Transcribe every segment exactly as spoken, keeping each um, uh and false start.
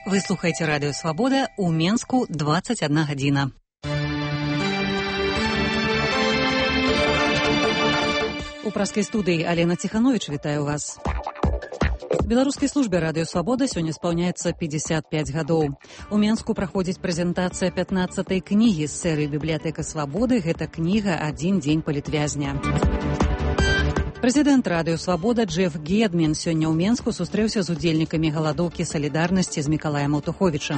Вы слухаеце радыё Свабода, у Менску дваццаць адна гадзіна. У праскай студыі Алена Ціхановіч вітаю вас. Беларускай службе радыё Свабода сёння спаўняецца пятьдесят пять гадоў. У Менску праходзіць прэзентацыя пятнаццатай кнігі з серыі «Бібліятэка Свабоды». Гэта кніга «Адзін дзень палітвязня». Прэзідэнт радыё Свабода Джеф Гедмін сёння ў Менску сустрэўся з удзельнікамі галадоўкі салідарнасці з Мікалаем Аўтуховічам.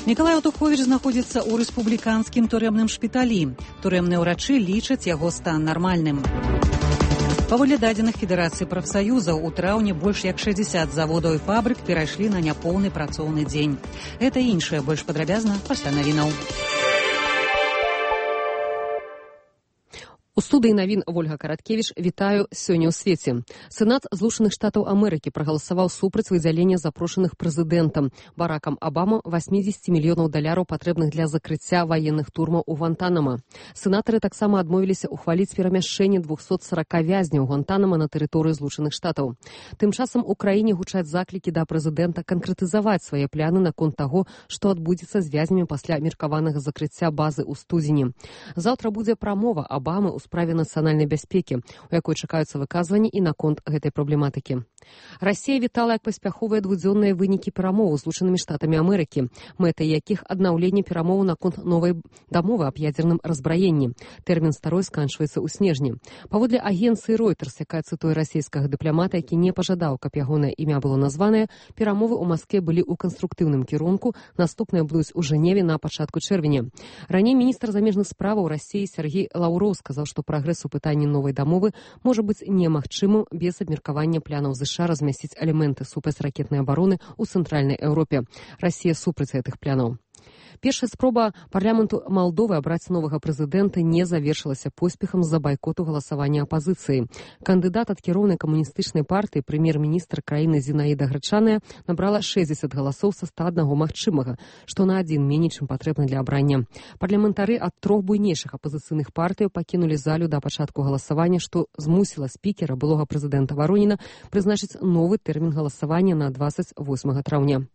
Мікалай Аўтуховіч знаходзіцца ў рэспубліканскім турэмным шпіталі. Турэмныя ўрачы лічаць яго стан нармальным. Паводле дадзеных Федэрацыі прафсаюзаў, у траўні больш як шэсцьдзесят заводаў і фабрык перайшлі на няпоўны працоўны дзень. Гэта і іншае больш падрабязна пасля навінаў. У студыі навін Вольга Караткевіч вітаю сёння ў свеце. Сенат Злучаных Штатаў Амерыкі прагаласаваў супраць выдзялення запрошаных прэзідэнтам Баракам Абама восемьдесят мільёнаў даляраў патрэбных для закрыцця ваенных турмаў у Гвантанама. Сенатары таксама адмовіліся ухваліць перамяшчэнне двухсот сорока вязняў Гвантанама на тэрыторыі Злучаных Штатаў. Тым часам у краіне гучаць заклікі да прэзідэнта канкрэтызаваць свае пляны наконт таго, што адбудзецца з вязнямі пасля меркаванага закрыцця базы ў студзені. Заўтра будзе прамова Абамы ў справе нацыянальнай бяспекі, у якой чакаюцца выказванні і наконт гэтай праблематыкі. Расія вітала як паспяховыя двудзённыя вынікі перамоў з Злучанымі Штатамі Амерыкі, мэтай якіх аднаўленне перамоў наконт новай дамовы аб ядзерным разбраенні. Тэрмін старой сканчваецца ў снежні. Паводле агенцыі Reuters, якая цытуе расійскага дыпламата, які не пажадаў, каб ягонае імя было названае, перамовы ў Маскве былі ў канструктыўным кірунку, наступныя будуць у Жэневе на пачатку чэрвеня. Раней міністр замежных справаў Расіі Сергей Лаўроў сказаў, што прагрэс у пытанні новай дамовы можа быць немагчымым без абмеркавання планаў ЗША размясціць элементы супрацьракетнай абароны ў цэнтральнай Еўропе. Расія супраць гэтых планаў. Першая спроба парламенту Малдовы абраць новага прэзідэнта не завершылася поспехам з-за байкоту галасавання апазіцыі. Кандыдат ад кіроўнай камуністычнай партыі, прэм'ер-міністр краіны Зінаіда Грачаная, набрала шэсцьдзесят галасоў са ста аднаго магчымага, што на адзін меней, чым патрэбна для абрання. Парламентары ад трох буйнейшых апазіцыйных партыяў пакінулі залю да пачатку галасавання, што змусіла спікера, былога прэзідэнта Вароніна, прызначыць новы тэрмін галасавання на дваццаць восьмага траўня.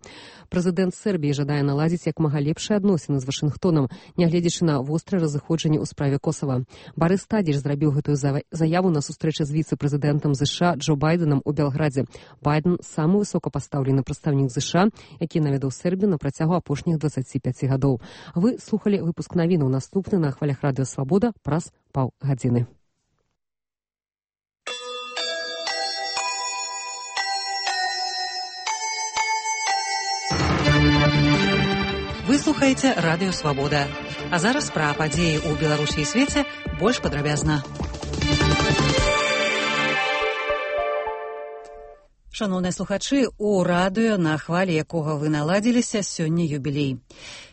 Прэзідэнт Сербіі жадае наладзіць як мага лепшыя адносіны з Вашынгтонам, нягледзячы на вострае разыходжанне ў справе Косава. Барыс Тадзіч зрабіў гэтую заяву на сустрэчы з віцэ-прэзідэнтам ЗША Джо Байденам у Белградзе. Байден – самы высокапастаўлены прадстаўнік ЗША, які наведаў Сербію на працягу апошніх дваццаці пяці гадоў. Вы слухалі выпуск навінаў, наступны на хвалях радыё Свабода праз паўгадзіны. Вы слухаеце радыё Свабода. А зараз пра падзеі ў Беларусі і свеце больш падрабязна. Шаноўныя слухачы, у радыё, на хвалі якога вы наладзіліся, сёння юбілей.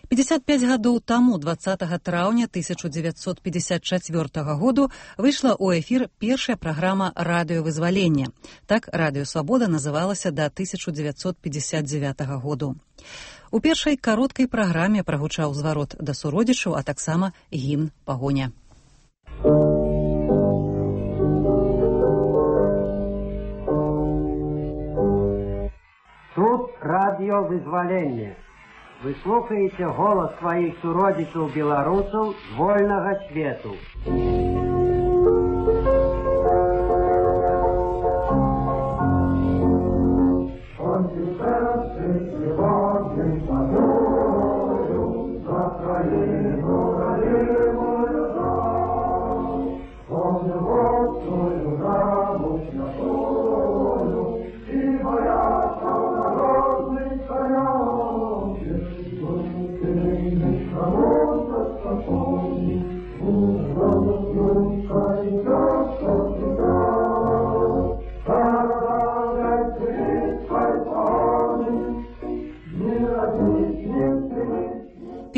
пятьдесят пять гадоў таму, дваццатага траўня тысяча дзевяцьсот пятьдесят чацвёртага году, выйшла ў эфір першая праграма радыёвызвалення. Так радыё Свабода называлася да тысяча дзевяцьсот пятьдесят дзевятага году. У першай кароткай праграме прагучаў зварот да суродзічаў, а таксама гімн «Пагоня». Тут радыёвызваленне. Вы слухаеце голас сваіх суродзічаў беларусаў з вольнага свету.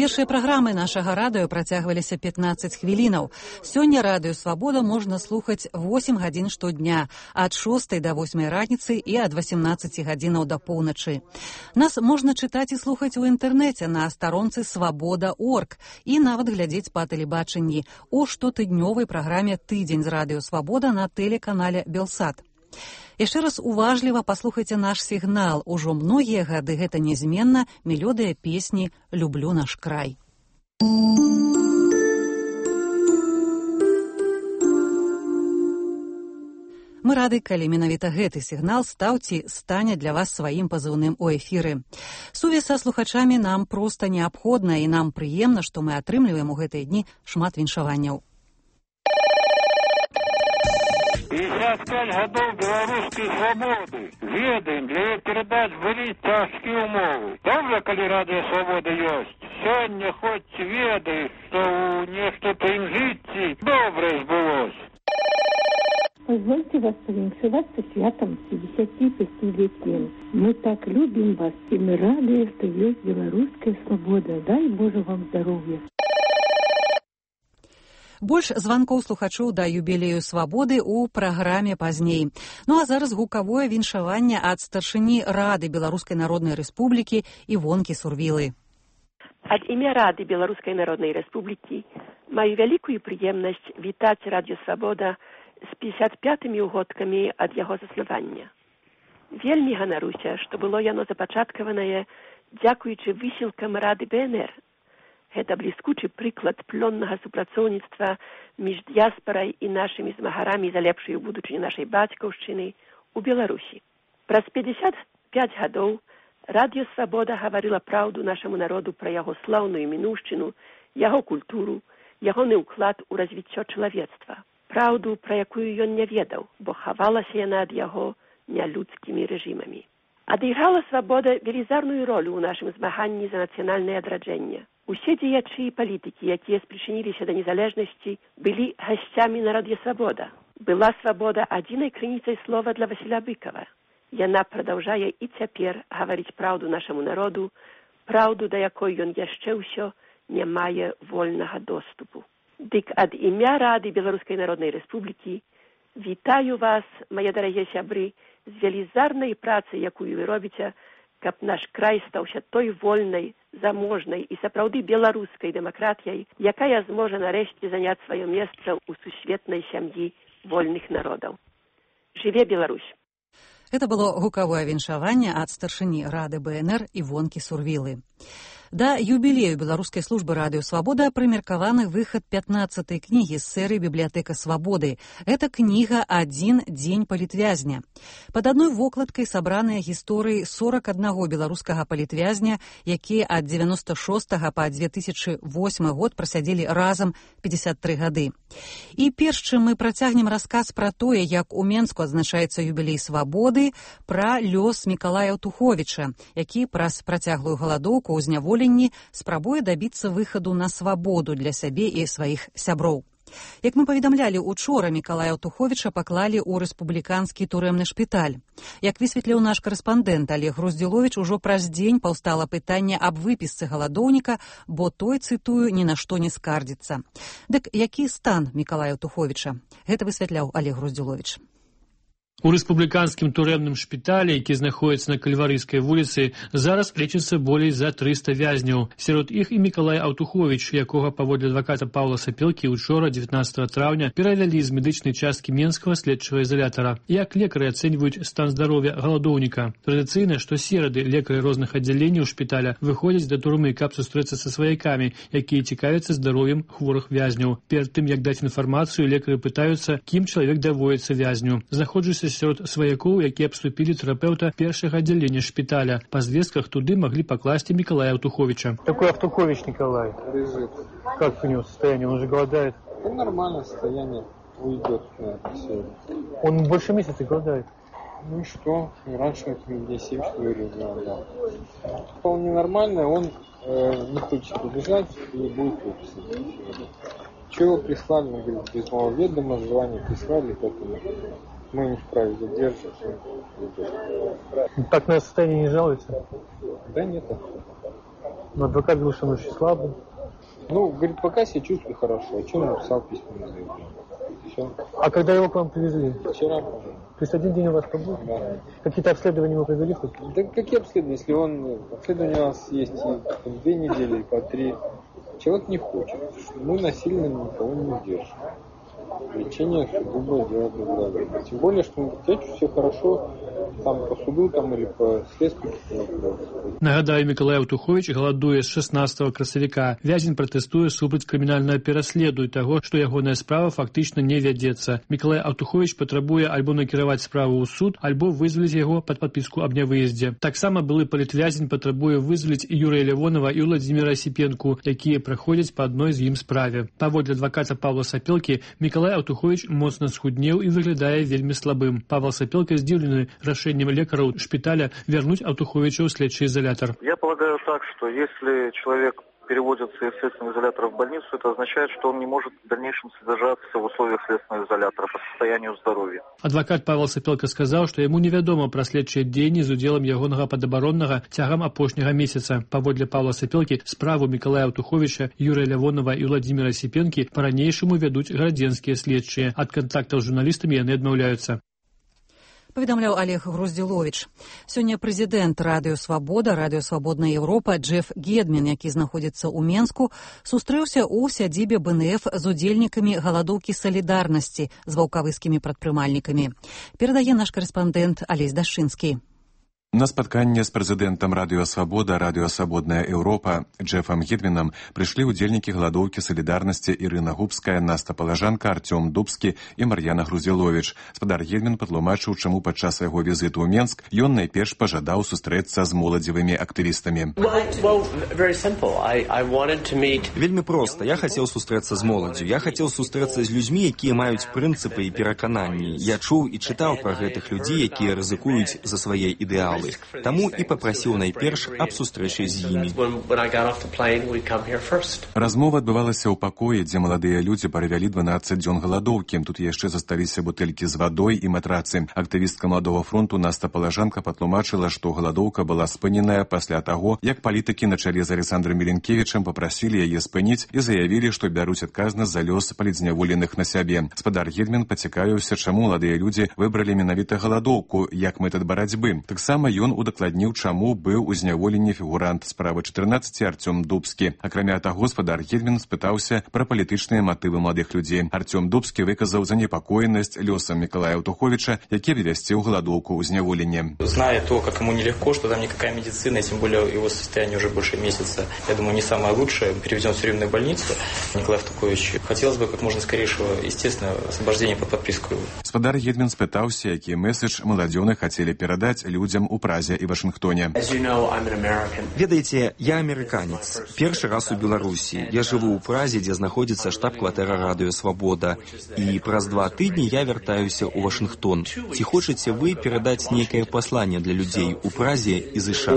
Першыя праграмы нашага радыё працягваліся пятнаццаць хвілінаў. Сёння радыё Свабода можна слухаць восемь гадзін штодня, ад шостай да восьмай раніцы і ад васемнаццаці гадзінаў да поўначы. Нас можна чытаць і слухаць у інтэрнэце на старонцы свабода крапка орг і нават глядзець па тэлебачанні у штотыднёвай праграме «Тыдзень з радыё Свабода» на тэлеканале «Белсат». Яшчэ раз уважліва паслухайце наш сігнал. Ужо многія гады гэта нязменна мелодыя песні «Люблю наш край». Мы рады, калі менавіта гэты сігнал стаў ці стане для вас сваім пазыўным у эфіры. Сувязь са слухачамі нам проста неабходна, і нам прыемна, што мы атрымліваем у гэтыя дні шмат віншаванняў. пятьдесят пять годов белорусской свободы. Ведаем, для ее передач были тяжкие умовы. Добре, коли радио свобода есть. Сегодня хоть ведаешь, что нечто по им житті добре сбылось. Позвольте вас повиншеваться святом пятидесятипятилетием. Мы так любим вас, и мы рады, что есть белорусская свобода. Дай Боже вам здоровья. Больш званкоў слухачоў да юбілею свабоды ў праграме пазней. Ну а зараз гукавое віншаванне ад старшыні Рады Беларускай Народнай Рэспублікі Івонкі Сурвілы. Ад імя Рады Беларускай Народнай Рэспублікі маю вялікую прыемнасць вітаць Радыё Свабода з пятьдесят пятымі ўгодкамі ад яго заснавання. Вельмі ганаруся, што было яно запачаткаванае дзякуючы высілкам Рады бэ эн эр. Гэта бліскучы прыклад плённага супрацоўніцтва між дыяспарай і нашымі змагарамі за лепшую будучыню нашай бацькаўшчыны ў Беларусі. Праз пятьдесят пять гадоў Радыё Свабода гаварыла праўду нашаму народу пра яго слаўную мінуўшчыну, яго культуру, ягоны ўклад у развіццё чалавецтва. Праўду, пра якую ён не ведаў, бо хавалася яна ад яго нялюдскімі рэжымамі. Адыграла свабода велізарную ролю ў нашым змаганні за нацыянальнае адраджэнне. Усе дзеячы і палітыкі, якія спрычыніліся да незалежнасці, былі гасцямі на Радыё Свабода. Была свабода адзінай крыніцай слова для Васіля Быкова. Яна прадаўжае і цяпер гаварыць праўду нашаму народу, праўду, да якой ён яшчэ ўсё не мае вольнага доступу. Дык ад імя Рады Беларускай Народнай Рэспублікі вітаю вас, мае дарагія сябры, з велізарнай працай, якую вы робіце, каб наш край стаўся той вольнай, заможнай і сапраўды беларускай дэмакратыяй, якая зможа нарэшце заняць сваё месца ў сусветнай сям'і вольных народаў. Жыве Беларусь! Гэта было гукавое віншаванне ад старшыні Рады бэ эн эр Івонкі Сурвілы. Да юбілею Беларускай службы Радыё Свабода прымеркаваны выхад пятнаццатай кнігі з серыі «Бібліятэка свабоды». Гэта кніга «Адзін дзень палітвязня». Пад адной вокладкай сабраныя гісторыі сорок аднаго беларускага палітвязня, якія ад дзевяноста шостага па две тысячы восьмы год прасядзелі разам пятьдесят тры гады. І перш чым мы працягнем расказ пра тое, як у Менску адзначаецца юбілей свабоды, пра лёс Мікалая Аўтуховіча, які праз працяглую галадоўку ў зняволенні спрабуе дабіцца выхаду на свабоду для сябе і сваіх сяброў. Як мы паведамлялі, учора Мікалая Аўтуховіча паклалі ў рэспубліканскі турэмны шпіталь. Як высветліў наш карэспандэнт Олег Груздзіловіч, ужо праз дзень паўстала пытанне аб выпісцы галадоўніка, бо той, цытую, ні на што не скардзіцца. Дык які стан Мікалая Аўтуховіча? Гэта высвятляў Олег Груздзіловіч. У рэспубліканскім турэмным шпіталі, які знаходіцца на Кальварыйскай вуліцы, зараз лечыцца болей за трыста вязняў. Сярод іх і Мікалай Аўтуховіч, якога паводле адваката Паўла Сапелкі учора, дзевятнаццатага траўня, перавялі з медычнай часткі Менскага следчага ізалятара. Як лекары ацэньваюць стан здароўя галадоўніка? Традыцыйна, што серады лекары розных аддзяленняў шпіталя выходзяць да турмы, каб сустрэцца са сваякамі, якія цікавяцца здароўем хворых вязняў. Перад тым, як даць інфармацыю, лекары пытаюцца, кім чалавек даводзіцца вязню. Знаходжуся сярод сваякоў, якія абступілі тэрапеўта першага аддзялення шпіталя. Па звестках туды маглі пакласці Мікалая Аўтуховіча. Такой Аўтухович Николай лежит. Как у него состояние? Он же голодает. Ну, нормальное состояние. Уйдет, наверное, сегодня. Он больше месяца голодает. Ну и что? Раньше дней семь, что ли, голодал. Вполне нормально. Он э, не хочет убежать и будет выписан. Чего прислали? Он говорит, без моего ведома, желание прислали, поэтому мы не вправе задерживать. Так на состояние не жалуется? Да нет. Но адвокат говорит, что он очень слабый. Ну, говорит, пока себя чувствую хорошо. А что он написал письменное заявление? Все. А когда его к вам привезли? Вчера. То есть один день у вас побыл? Да. Какие-то обследования ему провели хоть? Да какие обследования? Если он... Обследования у нас есть и по две недели, и по три. Человек не хочет. Мы насильно никого не держим. лечение сугубо дело безвредно. Тем более, что на предприятии все хорошо, там по суду там, или по следствию. Нагадаю, Миколай Аўтуховіч галадуе з шаснаццатага красавіка. Вязень пратэстуе супраць крымінальнага пераследу і таго, што ягоная справа фактычна не вядзецца. Миколай Аўтуховіч патрабуе альбо накіраваць справу ў суд, альбо вызваліць яго пад падпіску аб нявыездзе. Таксама былы палітвязень патрабуе вызваліць і Юрыя Лявонова і Владзіміра Асіпенку, якія праходзяць па адной з ім справе. Паводле адваката Павла Сапелкі, Миколай Аўтуховіч моцна схуднеў і выглядае вельмі слабым. Павел Сапелка здзіўлены рашэннем лекараў шпіталя вярнуць Аўтуховіча ў следчы изолятор. Я полагаю так, что если человек переводится из следственного изолятора в больницу, это означает, что он не может в дальнейшем содержаться в условиях следственного изолятора по состоянию здоровья. Адвокат Павел Сапелка сказал, что ему невядома пра следчыя дзеянні з удзелам ягонага падабароннага цягам апошняга месяца. Паводле Павла Сапелкі, справу Миколая Аўтуховіча, Юрия Лявонова и Владимира Сипенки по-ранейшаму вядуць градзенскія следчыя. Ад кантактаў з журналістамі яны адмаўляюцца. Паведамляў Олег Груздзіловіч. Сёння прэзідэнт Радыё Свабода, Радыё Свабодная Еўропа Джеф Гедмін, які знаходзіцца ў Менску, сустрэўся ў сядзібе бэ эн эф з удзельнікамі галадоўкі салідарнасці з ваўкавыскімі прадпрымальнікамі. Перадае наш карэспандэнт Алесь Дашчынскі. На спатканне з прэзідэнтам Радыё Свабода, Радыё Свабодная Еўропа Джефам Гедмінам прыйшлі ўдзельнікі галадоўкі салідарнасці Ірына Губская, Наста Палажанка, Артём Дубскі і Мар'яна Груздзіловіч. Спадар Гедмін патлумачыў, чаму падчас яго візіту ў Менск ён найперш пажадаў сустрэцца з моладзевымі актывістамі. Вельмі проста. Я хацеў сустрэцца з моладдзю. Я хацеў сустрэцца з людзьмі, якія маюць прынцыпы і перакананні. Я чуў і чытаў пра гэтых людзей, якія рызыкуюць за свае ідэалы. Таму і папрасіў найперш аб сустрэчы з імі. Размова адбывалася ў пакоі, дзе маладыя людзі правялі дванаццаць дзён галадоўкі. Тут яшчэ засталіся бутэлькі з вадой і матрацы. Актывістка Маладога фронту Наста Палажанка патлумачыла, што галадоўка была спыненая пасля таго, як палітыкі на чале з Александром Міленкевічам папрасілі яе спыніць і заявілі, што бяруць адказнасць за лёс палітзняволеных на сябе. Спадар Гедмін пацікавіўся, чаму маладыя людзі выбралі менавіта галадоўку як метад барацьбы. Таксама ён удакладніў, чаму быў у зняволенні фігурант справы чатырнаццаці Артём Дубскі. Акрамя таго, спадар Гедмін спытаўся пра палітычныя матывы маладых людзей. Артём Дубскі выказаў занепакоенасць лёсам Миколая Аўтуховіча, які вывесціў галадоўку ў зняволенні. Зная то, как ему нелегко, что там никакая медицина, тем более его состояние уже больше месяца, я думаю, не самое лучшее, переведен в тюремную больницу. Николай Аўтухович, хотелось бы как можно скорейшего, естественно, освобождения под подписку. Спадар Гедмін спытаўся, які месседж маладзёны хацелі перадаць людзям у Празе і Вашынгтоне. Ведаеце, я амерыканец. Першы раз у Беларусі. Я жыву ў Празе, дзе знаходзіцца штаб-кватэра Радыё Свабода. І праз два тыдні я вяртаюся ў Вашынгтон. Ці хочаце вы перадаць нейкае пасланне для людзей у Празе і ЗША?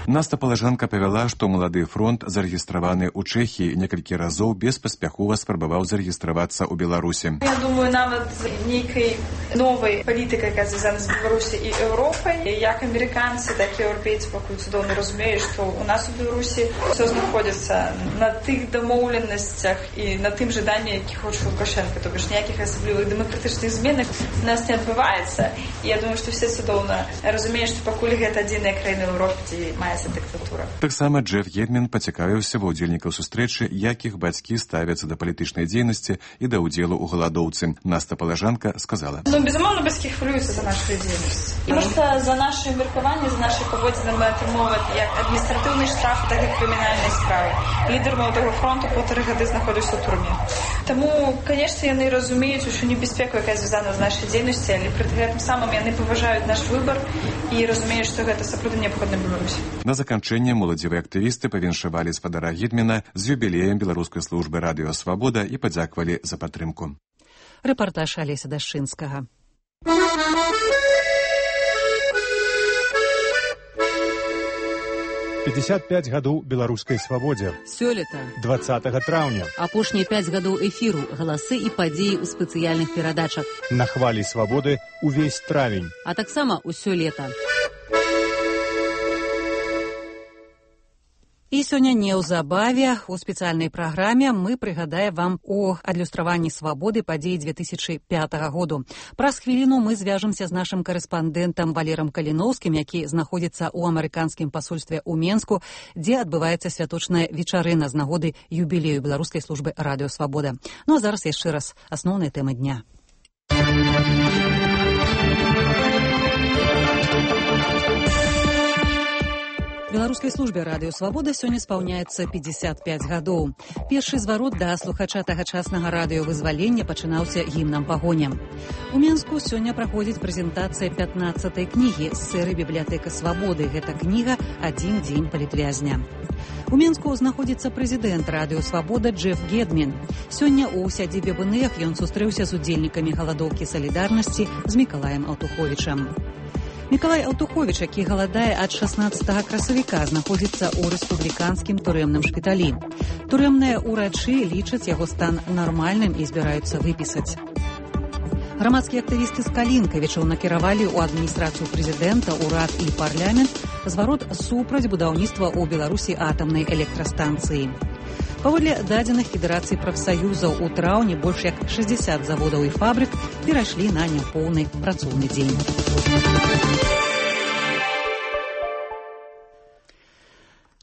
Наста Палажанка павяла, што малады фронт зарэгістраваны ў Чэхіі, некалькі разоў беспаспяхова спрабаваў зарэгістравацца ў Беларусі. Я думаю, нават нейкай новай палітыкай, якая звязана з Беларусі і Європою. Як американці, так і європейці поки цудовно розуміють, що у нас у Білорусі все знаходиться на тих домовленостях і на тим жаданні, які хоче Лукашенко. Тобто ж ніяких особливих демократичних змін у нас не відбувається. І я думаю, що всі цудовно розуміють, що покуль гэта адзіная країна в Європі, де мається диктатура. Так само Джеф Гедмін пацікавіўся ва ўдзельнікаў сустрэчы, як іх бацькі ставяцца да палітычнай дзейнасці і да ўдзелу ў галадоўцы. Наста Палажанка сказала: Ну, безумовно, бацькі хвилюються за нашу діяльність. Тому що за наше міркування, за наші поводження ми отримували як адміністративний штраф, так і кримінальні справи. Лідер Молодого фронту по три роки знаходився у турмі. Тому, звісно, вони розуміють, що небезпеку, яка зв'язана з нашою діяльністю, але при тим самим вони поважають наш вибір і розуміють, що це сапраўды необхідно Білорусі. На заканчэнне моладзевыя актывісты павіншавалі спадара Гедміна з юбілеем беларускай службы Радыё Свабода і падзякавалі за падтрымку. Рэпартаж Алеся Дашчынскага. пятьдесят пять гадоў беларускай свабодзе. Сёлета. двадцатага траўня. Апошнія пяць гадоў эфіру, галасы і падзеі ў спецыяльных перадачах. На хвалі свабоды увесь травень. А таксама ўсё лета. І сёння неўзабаве у спецыяльнай праграме мы прыгадаем вам о адлюстраванні свабоды падзей две тысячи пятага году. Праз хвіліну мы звяжемся з нашым карэспандэнтам Валерам Каліноўскім, які знаходзіцца ў амерыканскім пасольстве ў Менску, дзе адбываецца святочная вечарына з нагоды юбілею беларускай службы радыё Свабода. Ну а зараз яшчэ раз асноўныя тэмы дня. Беларускай службе радыё Свабода сёння спаўняецца пятьдесят пять гадоў. Першы зварот да слухача тагачаснага радыёвызвалення пачынаўся гімнам пагоня. У Менску сёння праходзіць прэзентацыя пятнаццатай кнігі з серыі «Бібліятэка Свабоды». Гэта кніга «Адзін дзень палітвязня». У Менску знаходзіцца прэзідэнт радыё Свабода Джеф Гедмін. Сёння ў сядзібе БНФ ён сустрэўся з удзельнікамі галадоўкі салідарнасці з Мікалаем Аўтуховічам. Мікалай Аўтуховіч, які галадае ад шаснаццатага красавіка, знаходзіцца ў рэспубліканскім турэмным шпіталі. Турэмныя ўрачы лічаць яго стан нармальным і збіраюцца выпісаць. Грамадскія актывісты з Калінкавічаў накіравалі ў адміністрацыю прэзідэнта, урад і парламент зварот супраць будаўніцтва ў Беларусі атамнай электрастанцыі. Паводле дадзеных Федэрацыі прафсаюзаў, у траўні больш як шэсцьдзесят заводаў і фабрык перайшлі на няпоўны працоўны дзень.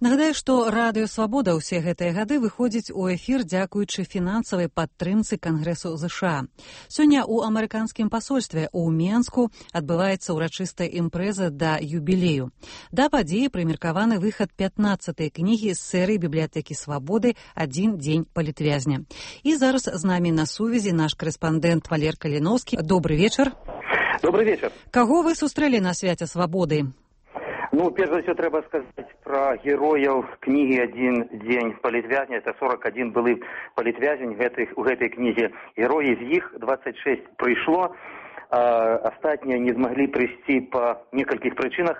Нагадаю, што радыё Свабода ўсе гэтыя гады выходзіць у эфір дзякуючы фінансавай падтрымцы Кангрэсу ЗША. Сёння ў амерыканскім пасольстве ў Менску адбываецца ўрачыстая імпрэза да юбілею. Да падзеі прымеркаваны выхад пятнаццатай кнігі з серыі «Бібліятэкі Свабоды. Адзін дзень палітвязня». І зараз з намі на сувязі наш карэспандэнт Валер Каліноўскі. Добрый вечар. Добрый вечар. Каго вы сустрэлі на свяце Свабоды? Ну, перш за ўсё трэба сказаць пра герояў кнігі «Адзін дзень палітвязня». Это сорок один былы палітвязень гэтых, у гэтай кнізе. Героі з іх двадцать шесть прыйшло, а астатнія не змаглі прыйсці па некалькіх прычынах.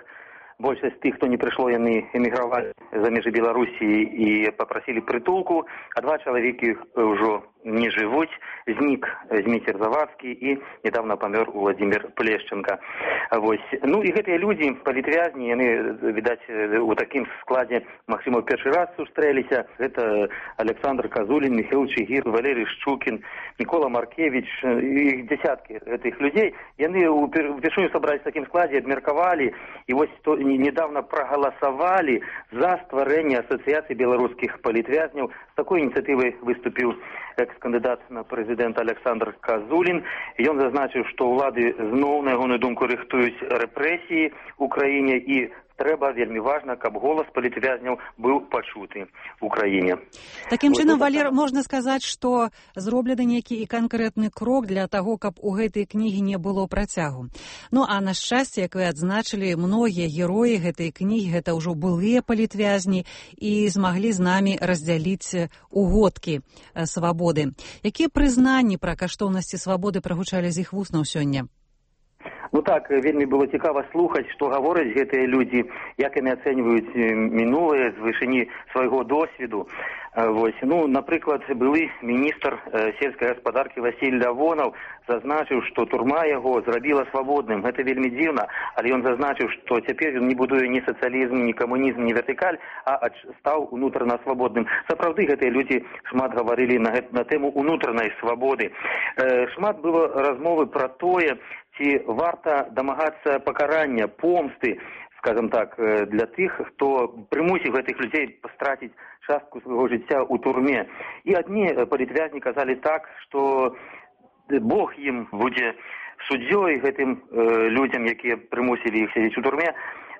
Большасць тых, хто не прыйшло, яны эмігравалі за межы Беларусі і папрасілі прытулку, а два чалавекі ўжо не жывуць. Знік Зміцер Завадскі і недавно памёр Владимир Плешченко. Вось. Ну і гэтыя людзі, палітвязні, яны, відаць, у такім складзе, магчыма, ў першы раз сустрэліся. Гэта Александр Казулін, Михаил Чигир, Валерий Шчукін, Мікола Маркевич, і дзясяткі гэтых людзей. Яны упершыню сабрались в такім складзе, абмеркавалі, і вось то, недавно проголосовали за стварэнне асацыяцыі беларускіх палітвязняў. З такой ініцыятывай выступіў экс-кандыдат на прэзідэнта Александр Казулін. Ён зазначыў, што ўлады зноў, на ягоную думку, рыхтуюць рэпрэсіі ў краіне, і трэба, вельмі важна, каб голас палітвязняў быў пачуты ў краіне. Такім чынам, Валер, можна сказаць, што зроблены нейкі і канкрэтны крок для таго, каб у гэтай кнігі не было працягу. Ну, а на шчасце, як вы адзначылі, многія героі гэтай кнігі, гэта ўжо былыя палітвязні і змаглі з намі раздзяліць угодкі свабоды. Якія прызнанні пра каштоўнасці свабоды прагучалі з іх вуснаў сёння? Ну так, вельмі было цікава слухаць, што гавораць гэтыя людзі, як яны ацэньваюць мінулае з вышыні свайго досведу. Вось. Ну, напрыклад, былы міністр сельскай гаспадаркі Васіль Лявонаў зазначыў, што турма яго зрабіла свабодным. Гэта вельмі дзіўна, але ён зазначыў, што цяпер ён не будуе ні сацыялізм, ні камунізм, ні вертыкаль, а стаў унутрана свабодным. Сапраўды гэтыя людзі шмат гаварылі на, на тэму унутранай свабоды. Шмат было размовы пра тое, ці варта дамагацца пакарання, помсты, скажем так, для тых, хто прымусіў гэтых людзей страціць частку свайго жыцця ў турме. І адні палітвязні казалі так, што Бог ім будзе суддзёй гэтым э, людзям, якія прымусілі іх сядзець у турме,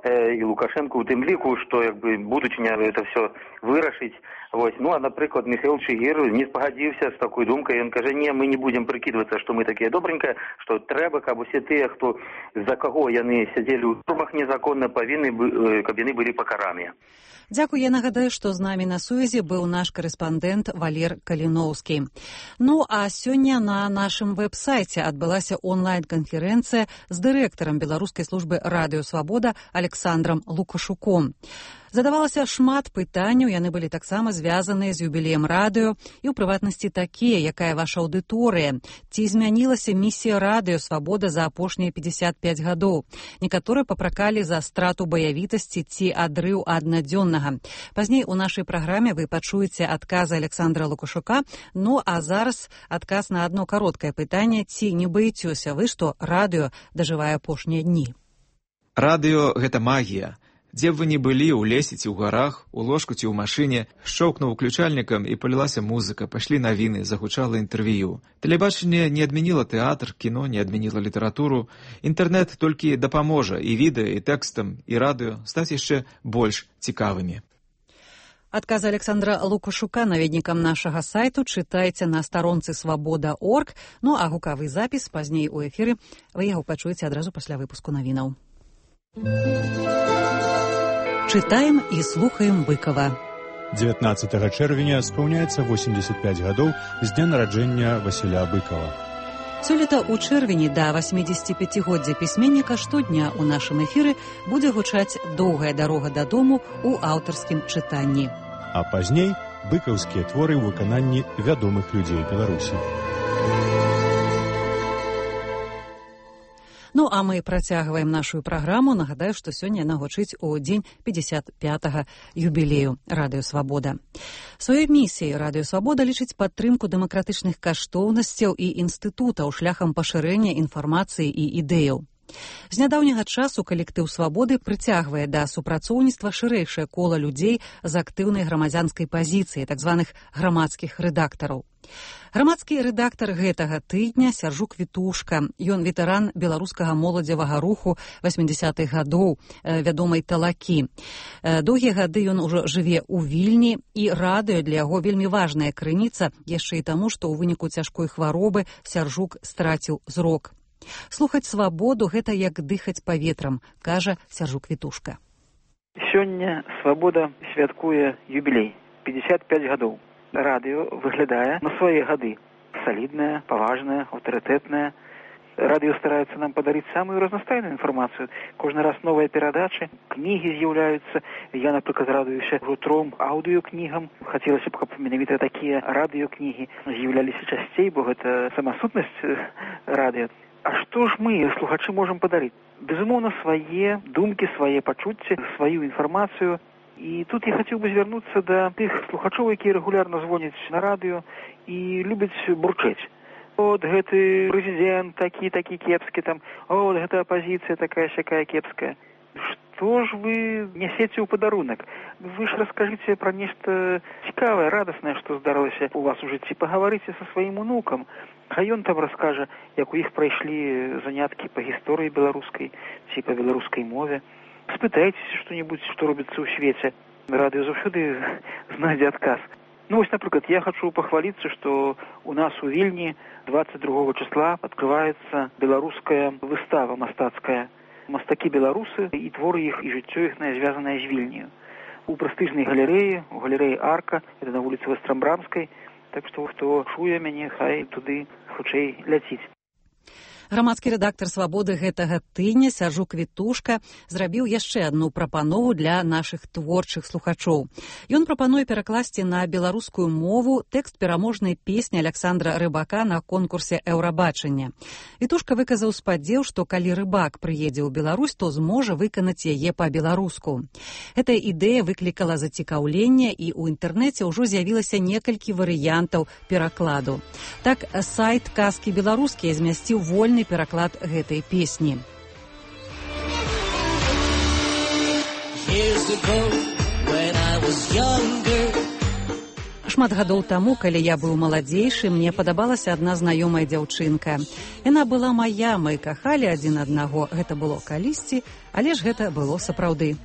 э, і Лукашенко ў тым ліку, што як бы будучыня это все вырашыць. Вось. Ну, а, напрыклад, Михаил Чигир не спагадзіўся з такой думкай. Ён кажа, не, мы не будзем прыкідвацца, што мы такія добренькая, што трэба, каб усе тыя, хто за каго яны сядзелі ў турмах незаконна, павінны, каб яны былі пакараныя. Дзякуй, я нагадаю, што з намі на сувязі быў наш карэспандэнт Валер Каліноўскі. Ну, а сёння на нашым вэб-сайце адбылася онлайн-канферэнцыя з дырэктарам беларускай службы радыё Свабода Александром Александрам Лукашуком. Задавалася шмат пытанняў, яны былі таксама звязаныя з юбілеем радыё, і ў прыватнасці такія, якая ваша аўдыторыя, ці змянілася місія радыё «Свабода» за апошнія пятьдесят пять гадоў. Некаторыя папракалі за страту баявітасці ці адрыў аднадзённага. Пазней у нашай праграме вы пачуеце адказы Александра Лукашука, ну а зараз адказ на адно кароткае пытанне, ці не баіцёся вы, што радыё дажывае апошнія дні? Радыё – гэта магія. Дзе б вы не былі, у лесе ці ў гарах, у ложку ці ў машыне, шчоўкнуў уключальнікам і палілася музыка, пайшлі навіны, загучала інтэрв'ю. Тэлебачанне не адмяніла тэатр, кіно не адмяніла літаратуру. Інтэрнэт толькі дапаможа і відэа, і тэкстам, і радыё стаць яшчэ больш цікавымі. Адказ Александра Лукашука наведнікам нашага сайту чытайце на старонцы свабода точка орг, ну а гукавы запіс пазней у эфіры вы яго пачуеце адразу пасля выпуску навінаў. Чытаем і слухаем Быкова. дзевятнаццатага чэрвеня спаўняецца восемьдесят пять гадоў з дня нараджэння Васіля Быкова. Сёлета ў чэрвені да восьмідзесяціпяцігоддзя пісьменніка штодня ў нашым эфіры будзе гучаць «Доўгая дарога дадому» ў аўтарскім чытанні. А пазней быкаўскія творы ў выкананні вядомых людзей Беларусі. Ну, а мы працягваем нашу праграму. Нагадаю, што сёння яна гучыць у дзень пятьдесят пятага юбілею радыё «Свабода». Сваёй місіяй радыё «Свабода» лічыць падтрымку дэмакратычных каштоўнасцяў і інстытутаў шляхам пашырэння інфармацыі і ідэяў. З нядаўняга часу калектыў «Свабоды» прыцягвае да супрацоўніцтва шырэйшае кола людзей з актыўнай грамадзянскай пазіцыяй, так званых грамадскіх рэдактараў. Грамадскі рэдактар гэтага тыдня Сяржук Вітушка. Ён ветэран беларускага моладзевага руху восьмідзясятых гадоў, вядомай «Талакі». Доўгія гады ён ужо жыве ў Вільні, і радыё для яго вельмі важная крыніца, яшчэ і таму, што ў выніку цяжкой хваробы Сяржук страціў зрок. Слухаць «Свабоду» — гэта як дыхаць паветрам, кажа Сяржук Вітушка. Сёння «Свабода» святкуе юбілей — пятьдесят пять гадоў. Радыё выглядае на свае гады. Саліднае, паважнае, аўтарытэтнае. Радыё стараецца нам падарыць самую разнастайную інфармацыю. Кожны раз новыя перадачы, кнігі з'яўляюцца. Я, напрыклад, радуюся ўжо тром аўдыёкнігам. Хацелася б, каб менавіта такія радыёкнігі з'яўляліся часцей, бо гэта сама сутнасць радыё. А што ж мы, слухачы, можам падарыць? Безумоўна, свае думкі, свае пачуцці, сваю інфармацыю. І тут я хацеў бы звярнуцца да тых слухачоў, якія рэгулярна звоняць на радыё і любяць бурчэць. От гэты прэзідэнт такі, такі кепскі, там, от гэта апазіцыя такая-сякая кепская. Што ж вы нясеце ў падарунак? Вы ж раскажыце пра нешта цікавае, радаснае, што здарылася у вас у жыцці. Пагаварыце са сваім унукам. А ён там раскажа, як у іх прайшлі заняткі па гісторыі беларускай ці па беларускай мове. Спытайцеся што-небудзь, што робіцца ў свеце. Радыё заўсёды знайдзе адказ. Ну вось, напрыклад, я хачу пахваліцца, што у нас у Вільні двадцать другого числа адкрываецца беларуская выстава мастацкая. Мастакі беларусы і творы іх і жыццё іхнае звязанае з Вільняю. У прэстыжнай галерэі, у галерэі Арка, это на вуліцы Вастрамбрамскай, так што хто чуе мяне, хай туды хутчэй ляціць. Грамадскі рэдактар «Свабоды» гэтага тыдня Сяржук Вітушка зрабіў яшчэ адну прапанову для нашых творчых слухачоў. Ён прапануе перакласці на беларускую мову тэкст пераможнай песні Александра Рыбака на конкурсе «Еўрабачання». Вітушка выказаў спадзеў, што калі Рыбак прыедзе ў Беларусь, то зможа выканаць яе па-беларуску. Гэтая ідэя выклікала зацікаўленне, і ў інтэрнэце ўжо з'явілася некалькі варыянтаў перакладу. Так, сайт «Казкі беларускія» змясціў вольны пераклад гэтай песні. Шмат гадоў таму, калі я быў маладзейшы, мне падабалася адна знаёмая дзяўчынка. Яна была мая, мы кахалі адзін аднаго. Гэта было калісьці, але ж гэта было сапраўды.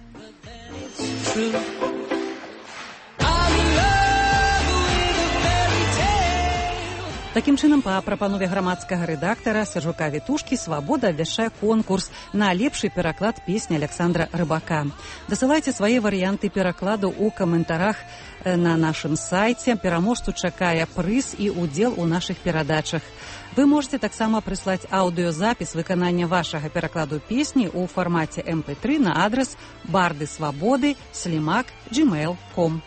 Такім чынам, па прапанове грамадскага рэдактара Сержука Вітушкі «Свабода» абвяшчае конкурс на лепшы пераклад песні Александра Рыбака. Дасылайце свае варыянты перакладу ў каментарах на нашым сайце. Пераможцу чакае прыз і удзел у нашых перадачах. Вы можете таксама прыслаць аўдыёзапіс выканання вашага перакладу песні ў фармаце эм пэ тры на адрас барды свабоды слімак джимейл точка ком.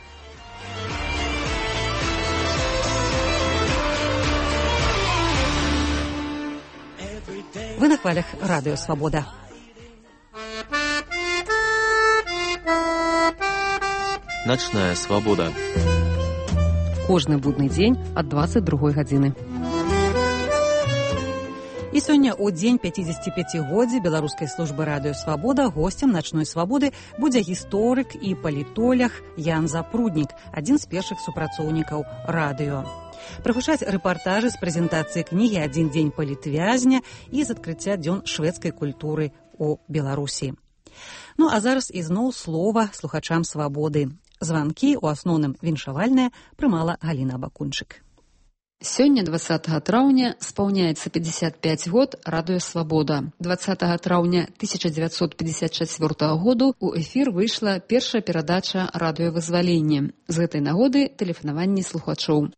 Вы на хвалях радыё «Свабода». Начная свабода. Кожны будны дзень ад дваццаць другой гадзіны. І сёння ў дзень пяцідзесяціпяцігоддзя беларускай службы радыё «Свабода» госцем начной свабоды будзе гісторык і палітолог Ян Запруднік, адзін з першых супрацоўнікаў радыё. Прагучаць рэпартажы з прэзентацыі кнігі «Адзін дзень палітвязня» і з адкрыцця дзён шведскай культуры ў Беларусі. Ну а зараз ізноў слова слухачам свабоды. Званкі, у асноўным віншавальныя, прымала Галіна Бакунчык. Сёння, дваццатага траўня, спаўняецца пятьдесят пять год радыё «Свабода». дваццатага траўня тысяча дзевяцьсот пятьдесят чацвёртага году ў эфір выйшла першая перадача «Радыёвызваленне». З гэтай нагоды тэлефанаванні слухачоў.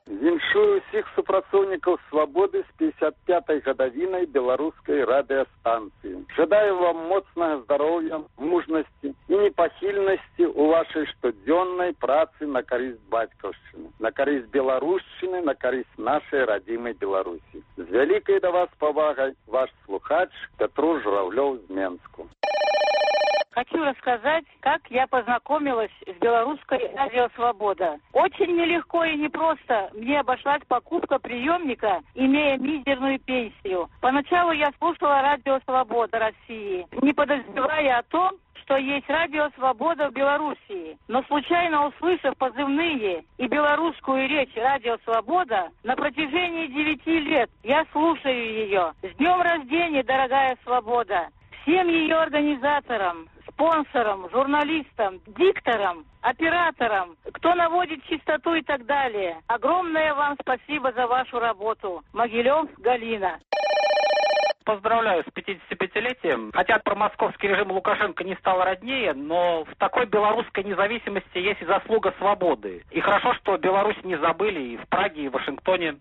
Віншую ўсіх супрацоўнікаў «Свабоды» з пятьдесят пятай гадавінай беларускай радыёстанцыі. Жадаю вам моцнага здароўя, мужнасці і непахільнасці ў вашай штодзённай працы на карысць бацькаўшчыны, на карысць беларушчыны, на карысць нашай радзімай Беларусі. З вялікай да вас павагай, ваш слухач Петру Журавлёў з Менску. Хочу рассказать, как я познакомилась с белорусской радио «Свобода». Очень нелегко и непросто мне обошлась покупка приемника, имея мизерную пенсию. Поначалу я слушала радио «Свобода» России, не подозревая о том, что есть радио «Свобода» в Белоруссии. Но случайно услышав позывные и белорусскую речь радио «Свобода», на протяжении девяти лет я слушаю ее. С днем рождения, дорогая «Свобода». Всем ее организаторам, спонсорам, журналистам, дикторам, операторам, кто наводит чистоту и так далее. Огромное вам спасибо за вашу работу. Могилев, Галина. Поздравляю с пятидесятипятилетием. Хотя про московский режим Лукашенко не стало роднее, но в такой белорусской независимости есть и заслуга свободы. И хорошо, что Беларусь не забыли и в Праге, и в Вашингтоне.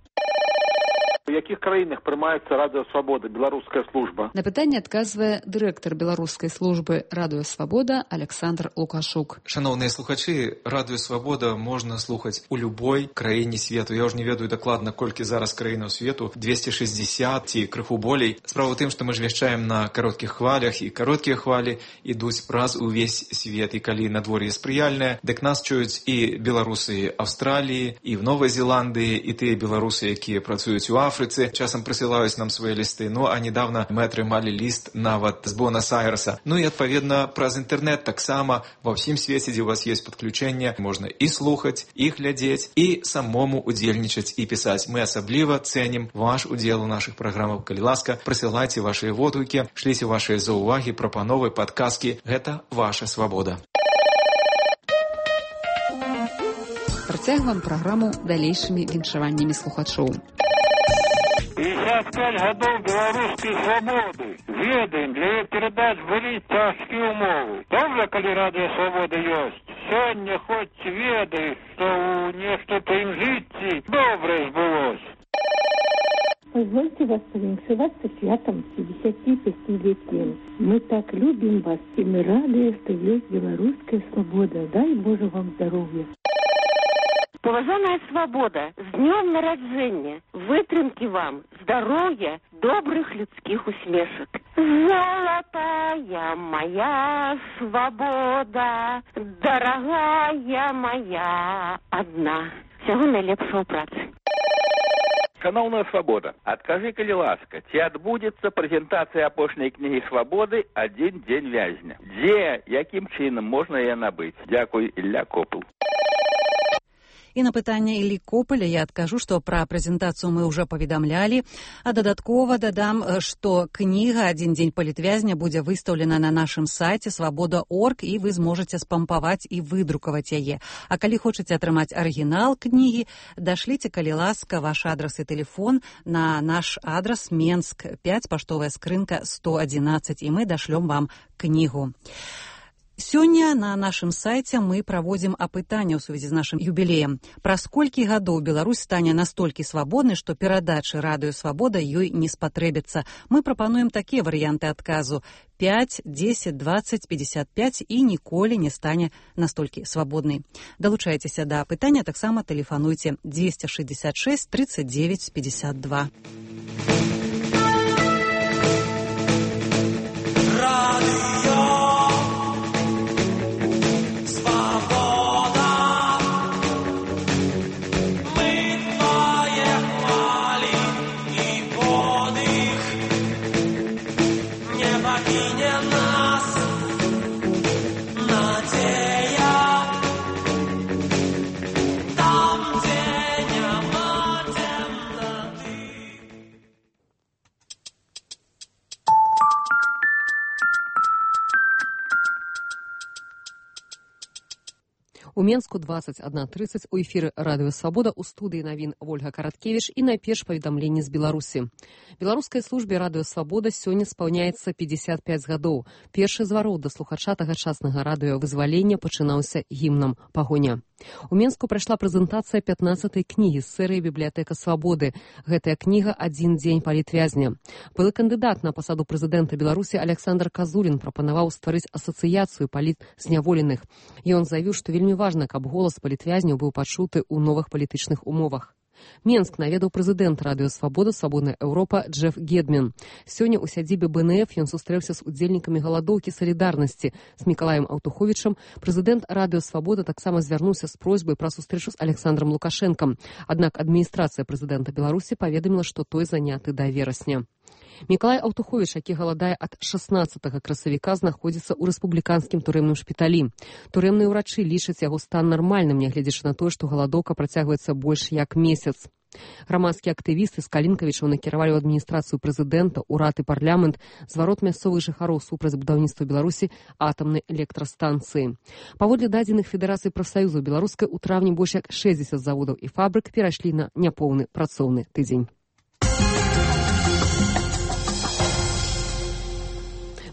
У якіх краінах прымаецца радыё «Свабода», беларуская служба? На пытанне адказвае дырэктар беларускай службы радыё «Свабода» Александр Лукашук. Шановныя слухачы, радыё «Свабода» можна слухаць у любой краіне свету. Я ўжо не ведаю дакладна, колькі зараз краінаў свету, двести шестьдесят ці крыху болей. Справа ў тым, што мы ж вяшчаем на кароткіх хвалях, і кароткія хвалі ідуць праз увесь свет. І калі надвор'е спрыяльнае, дык нас чуюць і беларусы Аўстраліі, і в Новай Зеландыі, і тыя беларусы, якія працуюць у Афрыцы, часам прысылаюць нам свае лісты. Ну, а недавно мы атрымалі ліст нават з Буэнос-Айреса. Ну і, адпаведна, праз інтэрнэт таксама ва ўсім свеце, дзе у вас ёсць падключэнне, можна і слухаць, і глядзець, і самому удзельнічаць і пісаць. Мы асабліва цэнім ваш удзел у нашых праграмах. Калі ласка, прысылайце вашыя водгукі, шліце вашыя заўвагі, прапановы, падказкі. Гэта ваша свабода. Працягваем праграму далейшымі віншаваннямі слухачоў. пятьдесят пять годов белорусской свободы. Ведаем, для ее передач были тяжкие умовы. Добре, коли радио «Свобода» есть. Сегодня хоть ведай, что у нечто-то им житті добре сбылось. Позвольте вас повиншеваться святом пятидесятипятилетием. Мы так любим вас, и мы рады, что есть белорусская свобода. Дай Боже вам здоровья. Поважаная свобода, з днем народження, витримки вам, здоров'я, добрих людських усмішок. Золотая моя свобода, дорогая моя одна. Всього найлепшого праці. Шановная свобода, адкажы, калі ласка, ці адбудзецца прэзентацыя апошняй кнігі «Свабоды» «Адзін дзень вязня». Дзе, якім чынам можна яе набыць? Дзякуй, Ілля Копыл. І на пытанне Іллі Копаля я адкажу, што пра прэзентацыю мы ўжо паведамлялі, а дадаткова дадам, што кніга «Адзін дзень палітвязня» будзе выстаўлена на нашым сайце свабода точка орг, і вы зможаце спампаваць і выдрукаваць яе. А калі хочаце атрымаць арыгінал кнігі, дашліце, калі ласка, ваш адрас і тэлефон на наш адрас Менск пяць, паштовая скрынка сто адзінаццаць, і мы дашлём вам кнігу. Сёння на нашым сайце мы праводзім апытанне ў сувязі з нашым юбілеем. Праз колькі гадоў Беларусь стане настолькі свабоднай, што перадачы радыё «Свабода» ёй не спатрэбіцца. Мы прапануем такія варыянты адказу: пяць, дзесяць, дваццаць, пятьдесят пять і ніколі не стане настолькі свабоднай. Далучайцеся да апытання, таксама тэлефануйце двести шестьдесят шесть тридцать девять пятьдесят два. У Менску двадцать одна тридцать, у эфіры радыё «Свабода», у студыі навін Вольга Караткевіч і найперш паведамленні з Беларусі. Беларускай службе радыё «Свабода» сёння спаўняецца пятьдесят пять гадоў. Першы зварот да слухача тагачаснага радыё «Вызвалення» пачынаўся гімнам «Пагоня». У Менску прайшла прэзентацыя пятнаццатай кнігі з серыі «Бібліятэка свабоды». Гэтая кніга «Адзін дзень палітвязня». Былы кандыдат на пасаду прэзідэнта Беларусі Александр Казулін прапанаваў стварыць асацыяцыю палітзняволеных. Ён заявіў, што вельмі важна, каб голас палітвязняў быў пачуты ў новых палітычных умовах. Менск наведаў прэзідэнт радыё «Свабода», «Свабодная Еўропа» Джеф Гедмен. Сёння ў сядзібе бэ эн эф ён сустрэўся з удзельнікамі галадоўкі салідарнасці. З Мікалаем Аўтуховічам прэзідэнт радыё «Свабода» таксама звярнуўся з просьбай пра сустрэчу з Александром Лукашэнкам. Аднак адміністрацыя прэзідэнта Беларусі паведаміла, што той заняты да верасня. Мікалай Аўтуховіч, які галадае ад шаснаццатага красавіка, знаходзіцца ў рэспубліканскім турэмным шпіталі. Турэмныя ўрачы лічаць яго стан нармальным, нягледзячы на тое, што галадоўка працягваецца больш як месяц. Грамадскія актывісты з Калінкавічаў накіравалі ў адміністрацыю прэзідэнта, урад і парламент зварот мясцовых жыхароў супраць будаўніцтва Беларусі атамнай электрастанцыі. Паводле дадзеных Федэрацыі прафсаюзаў беларускай, у траўні больш як шэсцьдзесят заводаў і фабрык перайшлі на няпоўны працоўны тыдзень.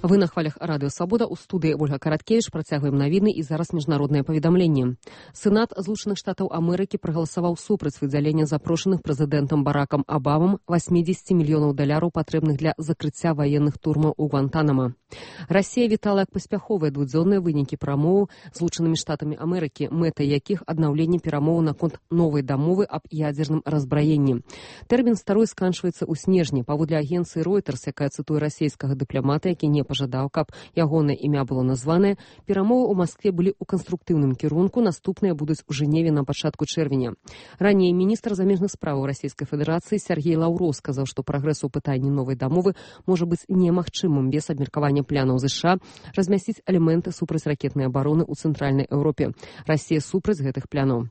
Вы на хвалях радыё «Свабода», у студыі Вольга Караткевіч, працягваем навіны і зараз міжнароднае паведамленне. Сенат Злучаных Штатаў Амерыкі прагаласаваў супраць выдзялення запрошаных прэзідэнтам Баракам Абамам восемьдесят мільёнаў даляраў, патрэбных для закрыцця ваенных турмаў у Гвантанама. Расія вітала як паспяховыя двудзённыя вынікі перамоў Злучанымі Штатамі Амерыкі, мэтай якіх аднаўленне перамоў наконт новай дамовы аб ядзерным разбраенні. Тэрмін старой сканчваецца ў снежні. Паводле агенцыі Reuters, якая цытуе расійскага дыпламата, які не пажадаў, каб ягонае імя было названае, перамовы ў Маскве былі ў канструктыўным кірунку, наступныя будуць у Жэневе на пачатку чэрвеня. Раней міністр замежных справаў Расійскай Федэрацыі Сергей Лаўроў сказаў, што прагрэс у пытанні новай дамовы можа быць немагчымым без абмеркавання планаў ЗША размясціць элементы супрацьракетнай абароны ў цэнтральнай Еўропе. Расія супраць гэтых планаў.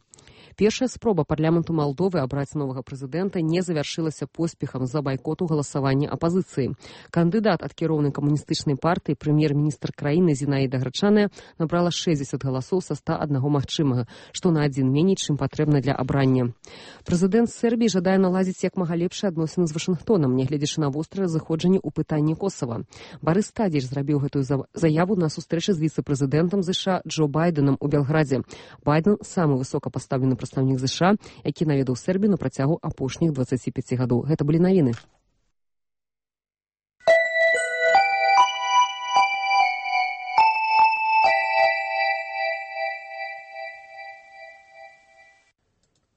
Першая спроба парламенту Малдовы абраць новага прэзідэнта не завяршылася поспехам з-за байкоту галасавання апазіцыі. Кандыдат ад кіроўнай камуністычнай партыі, прэм'ер-міністр краіны Зінаіда Грачаная, набрала шэсцьдзесят галасоў са ста аднаго магчымага, што на адзін меней, чым патрэбна для абрання. Прэзідэнт Сербіі жадае наладзіць як мага лепшыя адносіны з Вашынгтонам, нягледзячы на вострае заходжанне ў пытанні Косава. Барыс Тадзіч зрабіў гэтую заяву на сустрэчы з віцэ-прэзідэнтам ЗША Джо Байденам у Белградзе. Байден самы высокапастаўлены прадстаўнік ЗША, які наведаў Сербію на працягу апошніх дваццаці пяці гадоў. Гэта былі навіны.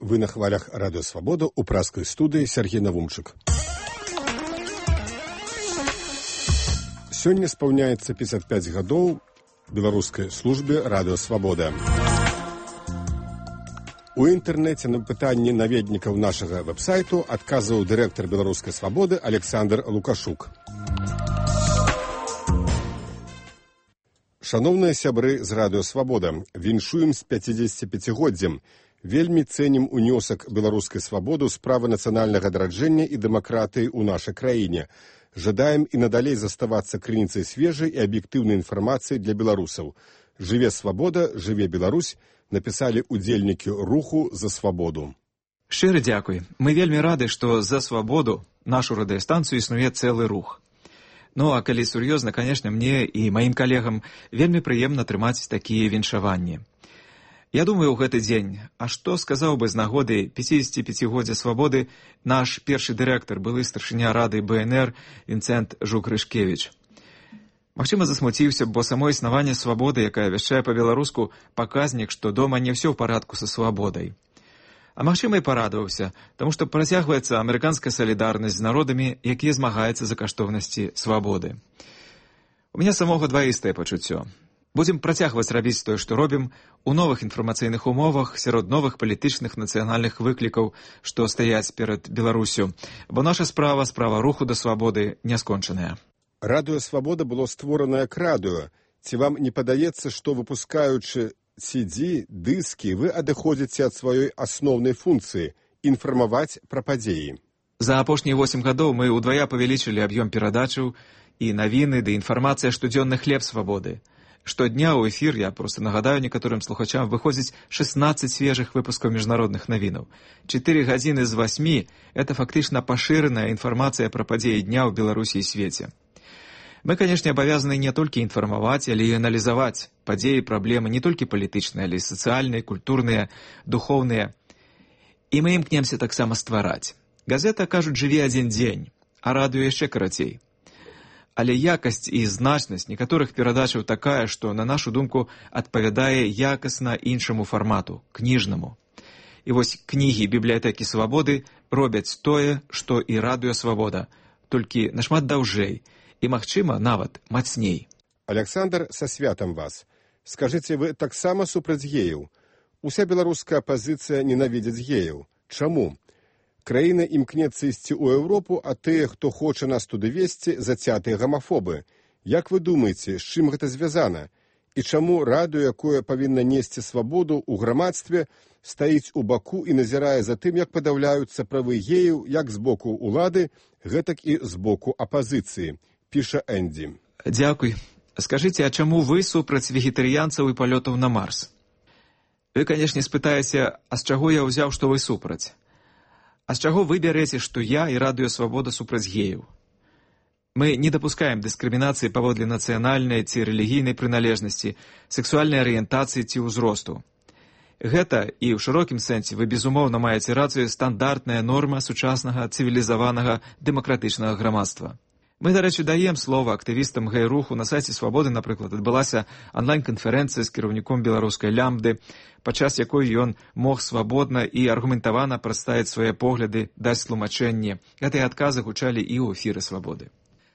Вы на хвалях радыё «Свабода», у праскай студыі Сергей Навумчык. Сёння спаўняецца пятьдесят пять гадоў беларускай службе радыё «Свабода». У інтэрнэце на пытанні наведнікаў нашага вэб-сайту адказваў дырэктар беларускай «Свабоды» Александр Лукашук. Шаноўныя сябры з радыё «Свабода», віншуем з пяцідзесяціпяцігоддзям. Вельмі цэнім унёсак беларускай свабоды ў справы нацыянальнага адраджэння і дэмакратыі ў нашай краіне. Жадаем і надалей заставацца крыніцай свежай і аб'ектыўнай інфармацыі для беларусаў. Жыве свабода, жыве Беларусь, напісалі удзельнікі руху за свабоду. Шчыры дзякуй. Мы вельмі рады, што за свабоду нашу радыёстанцыю існуе цэлы рух. Ну, а калі сур'ёзна, канешне, мне і маім калегам вельмі прыемна трымаць такія віншаванні. Я думаю, ў гэты дзень, а што сказаў бы з нагоды пяцідзесяціпяцігоддзя свабоды наш першы дырэктар, былы старшыня рады бэ эн эр Вінцэнт Жук-Рышкевіч. Магчыма, засмуціўся, бо само існаванне свабоды, якая вяшчае па-беларуску, паказнік, што дома не ўсё ў парадку са свабодай. А магчыма, і парадаваўся, таму што працягваецца амерыканская салідарнасць з народамі, якія змагаюцца за каштоўнасці свабоды. У мяне самога дваістае пачуццё. Будзем працягваць рабіць тое, што робім, у новых інфармацыйных умовах, сярод новых палітычных нацыянальных выклікаў, што стаяць перад Беларусю, бо наша справа, справа руху да свабоды, не скончаная. Радыё «Свабода» было створана як радыё. Ці вам не падаецца, што выпускаючы си ді, дыскі, вы адыходзіце ад сваёй асноўнай функцыі – інфармаваць пра падзеі? За апошнія восем гадоў мы ўдвая павялічылі аб'ём перадачаў і навіны ды інфармацыя штодзённы хлеб свабоды. Штодня ў эфір, я проста нагадаю некаторым слухачам, выходзіць шэснаццаць свежых выпускаў міжнародных навінаў. Чатыры гадзіны з васьмі – это фактычна пашыраная інфармацыя пра падзеі дня ў Беларусі і свеце. Мы, канешне, абавязаны не толькі інфармаваць, але і аналізаваць падзеі, праблемы не толькі палітычныя, але і сацыяльныя, культурныя, духоўныя. І мы імкнемся таксама ствараць. Газета, кажуць, жыве адзін дзень, а радыё яшчэ карацей. Але якасць і значнасць некаторых перадачаў такая, што, на нашу думку, адпавядае якасна іншаму фармату, кніжнаму. І вось кнігі бібліятэкі свабоды робяць тое, што і радыё свабода, толькі нашмат даўжэй і, магчыма, нават мацней. Аляксандр, са святам вас. Скажыце, вы таксама супраць геяў? Уся беларуская апазіцыя ненавідзіць геяў. Чаму? Краіна імкнецца ісці ў Еўропу, а тыя, хто хоча нас туды весці, зацятыя гамафобы. Як вы думаеце, з чым гэта звязана? І чаму радыё, якое павінна несці свабоду ў грамадстве, стаіць у баку і назірае за тым, як падаўляюцца правы геяў як з боку ўлады, гэтак і з боку апазіцыі, піша Энді. Дзякуй. Скажыце, а чаму вы супраць вегетарыянцаў і палётаў на Марс? Вы, канешне, спытаеце, а з чаго я ўзяў, што вы супраць? А з чаго вы бярэце, што я і радыё свабода супраць геяў? Мы не дапускаем дыскрымінацыі паводле нацыянальнай ці рэлігійнай прыналежнасці, сексуальнай арыентацыі ці ўзросту. Гэта, і ў шырокім сэнсе вы безумоўна маеце рацыю, стандартная норма сучаснага цывілізаванага дэмакратычнага грамадства. Мы, дарэчы, даем слова актывістам гэй-руху. На сайце «Свабоды», напрыклад, адбылася онлайн-канферэнцыя з кіраўніком беларускай лямбды, падчас якой ён мог свабодна і аргументавана прадставіць свае погляды, даць тлумачэнне. Гэтыя адказы гучалі і ў эфіры «Свабоды».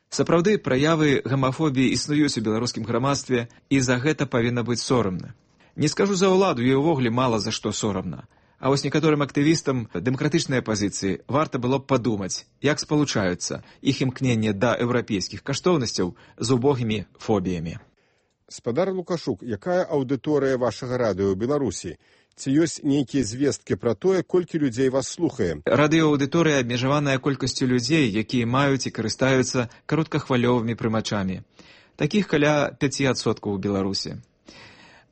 Сапраўды, праявы гамафобіі існуюць у беларускім грамадстве, і за гэта павінна быць сорамна. Не скажу за ўладу, ёй увогуле мала за што сорамна. А вось некаторым актывістам дэмакратычнай апазіцыі варта было б падумаць, як спалучаюцца іх імкненне да еўрапейскіх каштоўнасцяў з убогімі фобіямі. Спадар Лукашук, якая аўдыторыя вашага радыё ў Беларусі? Ці ёсць нейкія звесткі пра тое, колькі людзей вас слухае? Радыёаўдыторыя абмежаваная колькасцю людзей, якія маюць і карыстаюцца кароткахвалёвымі прымачамі. Такіх каля пяць адсоткаў у Беларусі.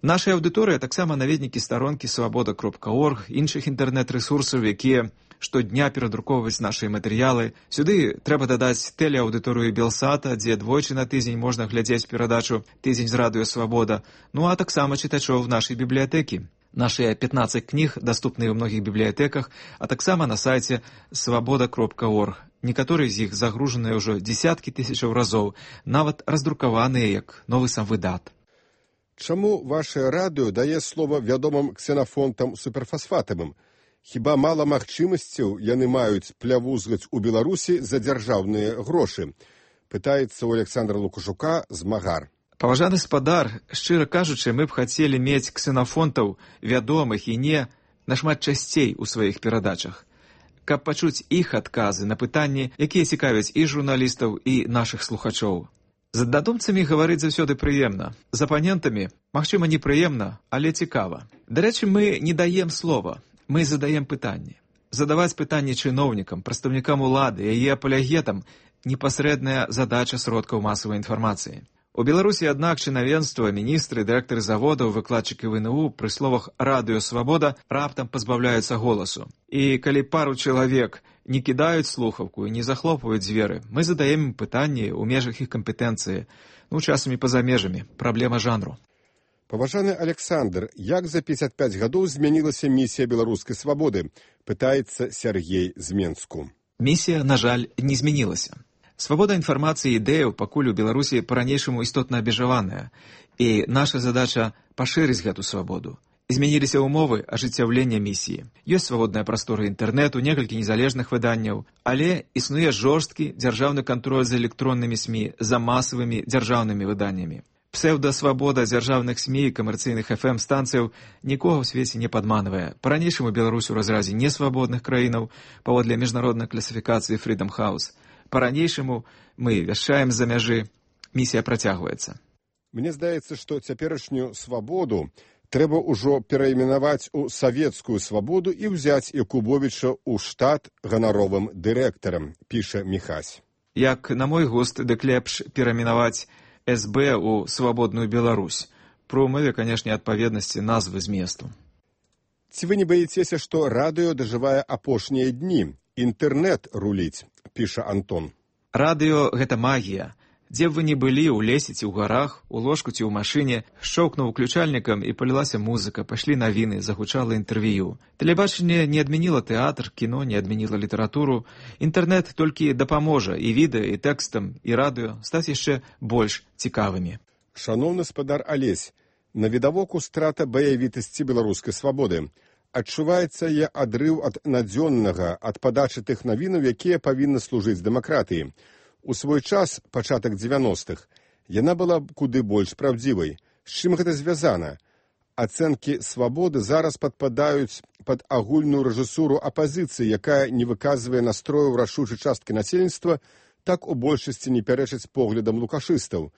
Наша аўдыторыя таксама наведнікі старонкі свабода кропка орг, іншых інтэрнэт-рэсурсаў, якія штодня перадрукоўваюць нашыя матэрыялы. Сюды трэба дадаць тэлеаўдыторыю Белсата, дзе двойчы на тыдзень можна глядзець перадачу «Тыдзень з радыё свабода», ну а таксама чытачоў нашай бібліятэкі. Нашыя пятнаццаць кніг даступныя ў многіх бібліятэках, а таксама на сайце свабода кропка орг. Некаторыя з іх загружаныя ўжо дзесяткі тысячаў разоў, нават раздрукаваныя як новы сам выдат. Чаму ваше радыё дае слова вядомым ксенафонтам суперфасфатавым? Хіба мала магчымасцяў яны маюць плявузгаць у Беларусі за дзяржаўныя грошы? Пытаецца ў Аляксандра Лукашука змагар. Паважаны спадар, шчыра кажучы, мы б хацелі мець ксенафонтаў вядомых і не нашмат часцей у сваіх перадачах, каб пачуць іх адказы на пытанні, якія цікавяць і журналістаў, і нашых слухачоў. З аднадумцамі гаварыць заўсёды прыемна. З апанентамі, магчыма, непрыемна, але цікава. Дарэчы, мы не даем слова. Мы задаем пытанні. Задаваць пытанні чыноўнікам, прадстаўнікам улады, яе апалягетам – непасрэдная задача сродкаў масавай інфармацыі. У Беларусі, аднак, чынавенства, міністры, дырэктары заводаў, выкладчыкі ВНУ пры словах «Радыё Свабода» раптам пазбаўляюцца голасу. І калі пару чалавек не кідаюць слухаўку і не захлопваюць дзверы, мы задаем ім пытанні ў межах іх кампетэнцыі, ну, часамі па-за межамі, праблема жанру. Паважаны Александр, як за пятьдесят пять гадоў змянілася місія беларускай свабоды? Пытаецца Сергей з Менску. Місія, на жаль, не змянілася. Свабода інфармацыі і ідэяў пакуль у Беларусі па-ранейшаму істотна абмежаваная, і наша задача пашырыць гэту свабоду. Змяніліся ўмовы ажыццяўлення місіі. Ёсць свабодная прастора інтэрнэту, некалькі незалежных выданняў, але існуе жорсткі дзяржаўны кантроль за электроннымі СМІ, за масавымі дзяржаўнымі выданнямі. Псеўдасвабода дзяржаўных СМІ і камерцыйных эф эм-станцыяў нікога ў свеце не падманвае. Па-ранейшаму Беларусь у разразе несвабодных краінаў паводле міжнароднай класіфікацыі Freedom House. Па-ранейшаму мы вяшчаем з-за мяжы. Місія працягваецца. Мне здаецца, што цяперашнюю свабоду трэба ўжо перайменаваць у савецкую свабоду і ўзяць Якубовіча ў штат ганаровым дырэктарам, піша Міхась. Як на мой густ, дык лепш перайменаваць эс бэ у свабодную Беларусь. Пры ўмове, канешне, адпаведнасці назвы зместу. Ці вы не баіцеся, што радыё дажывае апошнія дні? Інтэрнэт руліць, піша Антон. Радыё – гэта магія. Дзе б вы не былі, у лесе ці ў гарах, у ложку ці ў машыне, шчоўкнуў уключальнікам і палілася музыка, пайшлі навіны, загучала інтэрв'ю. Тэлебачанне не адмяніла тэатр, кіно не адмяніла літаратуру. Інтэрнэт толькі дапаможа і відэа, і тэкстам, і радыё стаць яшчэ больш цікавымі. Шаноўны спадар Алесь, навідавоку страта баявітасці беларускай свабоды. Адчуваецца яе адрыў ад надзённага, ад падачы тых навінаў, якія павінны служыць дэмакратыі. У свой час, пачатак дзевяностых, яна была куды больш праўдзівай. З чым гэта звязана? Ацэнкі свабоды зараз падпадаюць пад агульную рэжысуру апазіцыі, якая не выказвае настрояў рашучай часткі насельніцтва, так у большасці не пярэчыць поглядам лукашыстаў.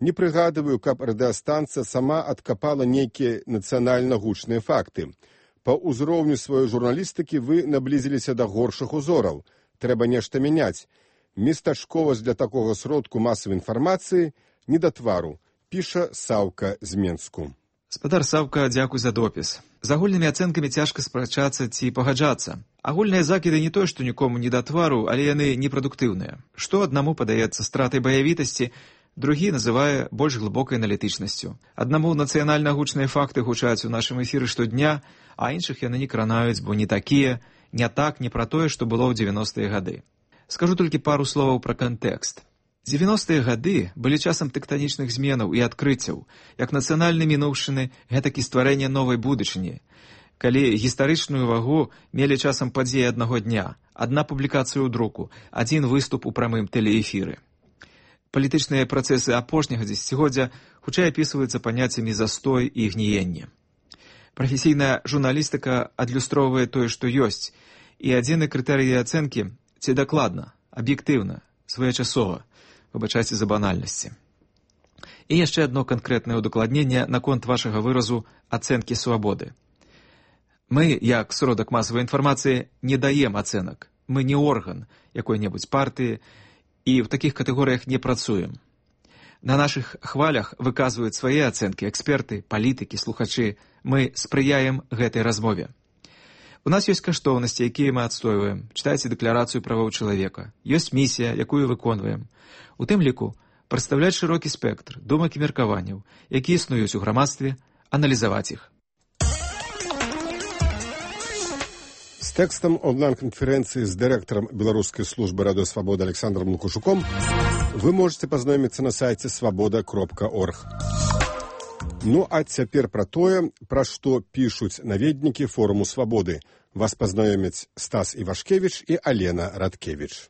Не прыгадываю, каб радыёстанцыя сама адкапала нейкія нацыянальна гучныя факты. Па ўзроўню сваёй журналістыкі вы наблізіліся да горшых узораў. Трэба нешта мяняць. Местачковасць для такога сродку масавай інфармацыі не да твару, піша Саўка з Менску. Спадар Саўка, дзякуй за допіс. З агульнымі ацэнкамі цяжка спрачацца ці пагаджацца. Агульныя закіды не той, што нікому не да твару, але яны непрадуктыўныя. Што аднаму падаецца стратай баявітасці, другі называе больш глыбокай аналітычнасцю. Аднаму нацыянальна гучныя факты гучаць у нашым эфіры штодня, а іншых яны не кранаюць, бо не такія, не так, не пра тое, што было ў дзевяностыя гады. Скажу толькі пару словаў пра кантэкст. дзевяностыя гады былі часам тэктанічных зменаў і адкрыццяў, як нацыянальнай мінуўшчыны, гэтак і стварэння новай будучыні. Калі гістарычную вагу мелі часам падзеі аднаго дня, адна публікацыя ў друку, адзін выступ у прамым тэлеэфіры. Палітычныя працэсы апошняга дзесяцігоддзя хутчэй апісваюцца паняццямі застой і гніенне. Прафесійная журналістыка адлюстроўвае тое, што ёсць, і адзіны крытэрый ацэнкі – ці дакладна, аб'ектыўна, своечасова, выбачайце за банальнасці. І яшчэ адно канкрэтнае ўдакладненне наконт вашага выразу ацэнкі свабоды. Мы, як сродак масавай інфармацыі, не даем ацэнак. Мы не орган якой-небудзь партыі і ў такіх катэгорыях не працуем. На нашых хвалях выказваюць свае ацэнкі эксперты, палітыкі, слухачы. Мы спрыяем гэтай размове. У нас ёсць каштоўнасці, якія мы адстойваем. Чытайце дэкларацыю правоў чалавека. Ёсць місія, якую выконваем. У тым ліку прадстаўляць шырокі спектр думак і меркаванняў, якія існуюць у грамадстве, аналізаваць іх. З тэкстам онлайн-канферэнцыі з дырэктарам беларускай службы радыё Свабода Александром Лукашуком вы можете пазнаёміцца на сайце свабода кропка орг. Ну, а цяпер пра тое, пра што пішуць наведнікі форуму свабоды. Вас пазнаёмяць Стас Івашкевіч і Алена Радкевіч.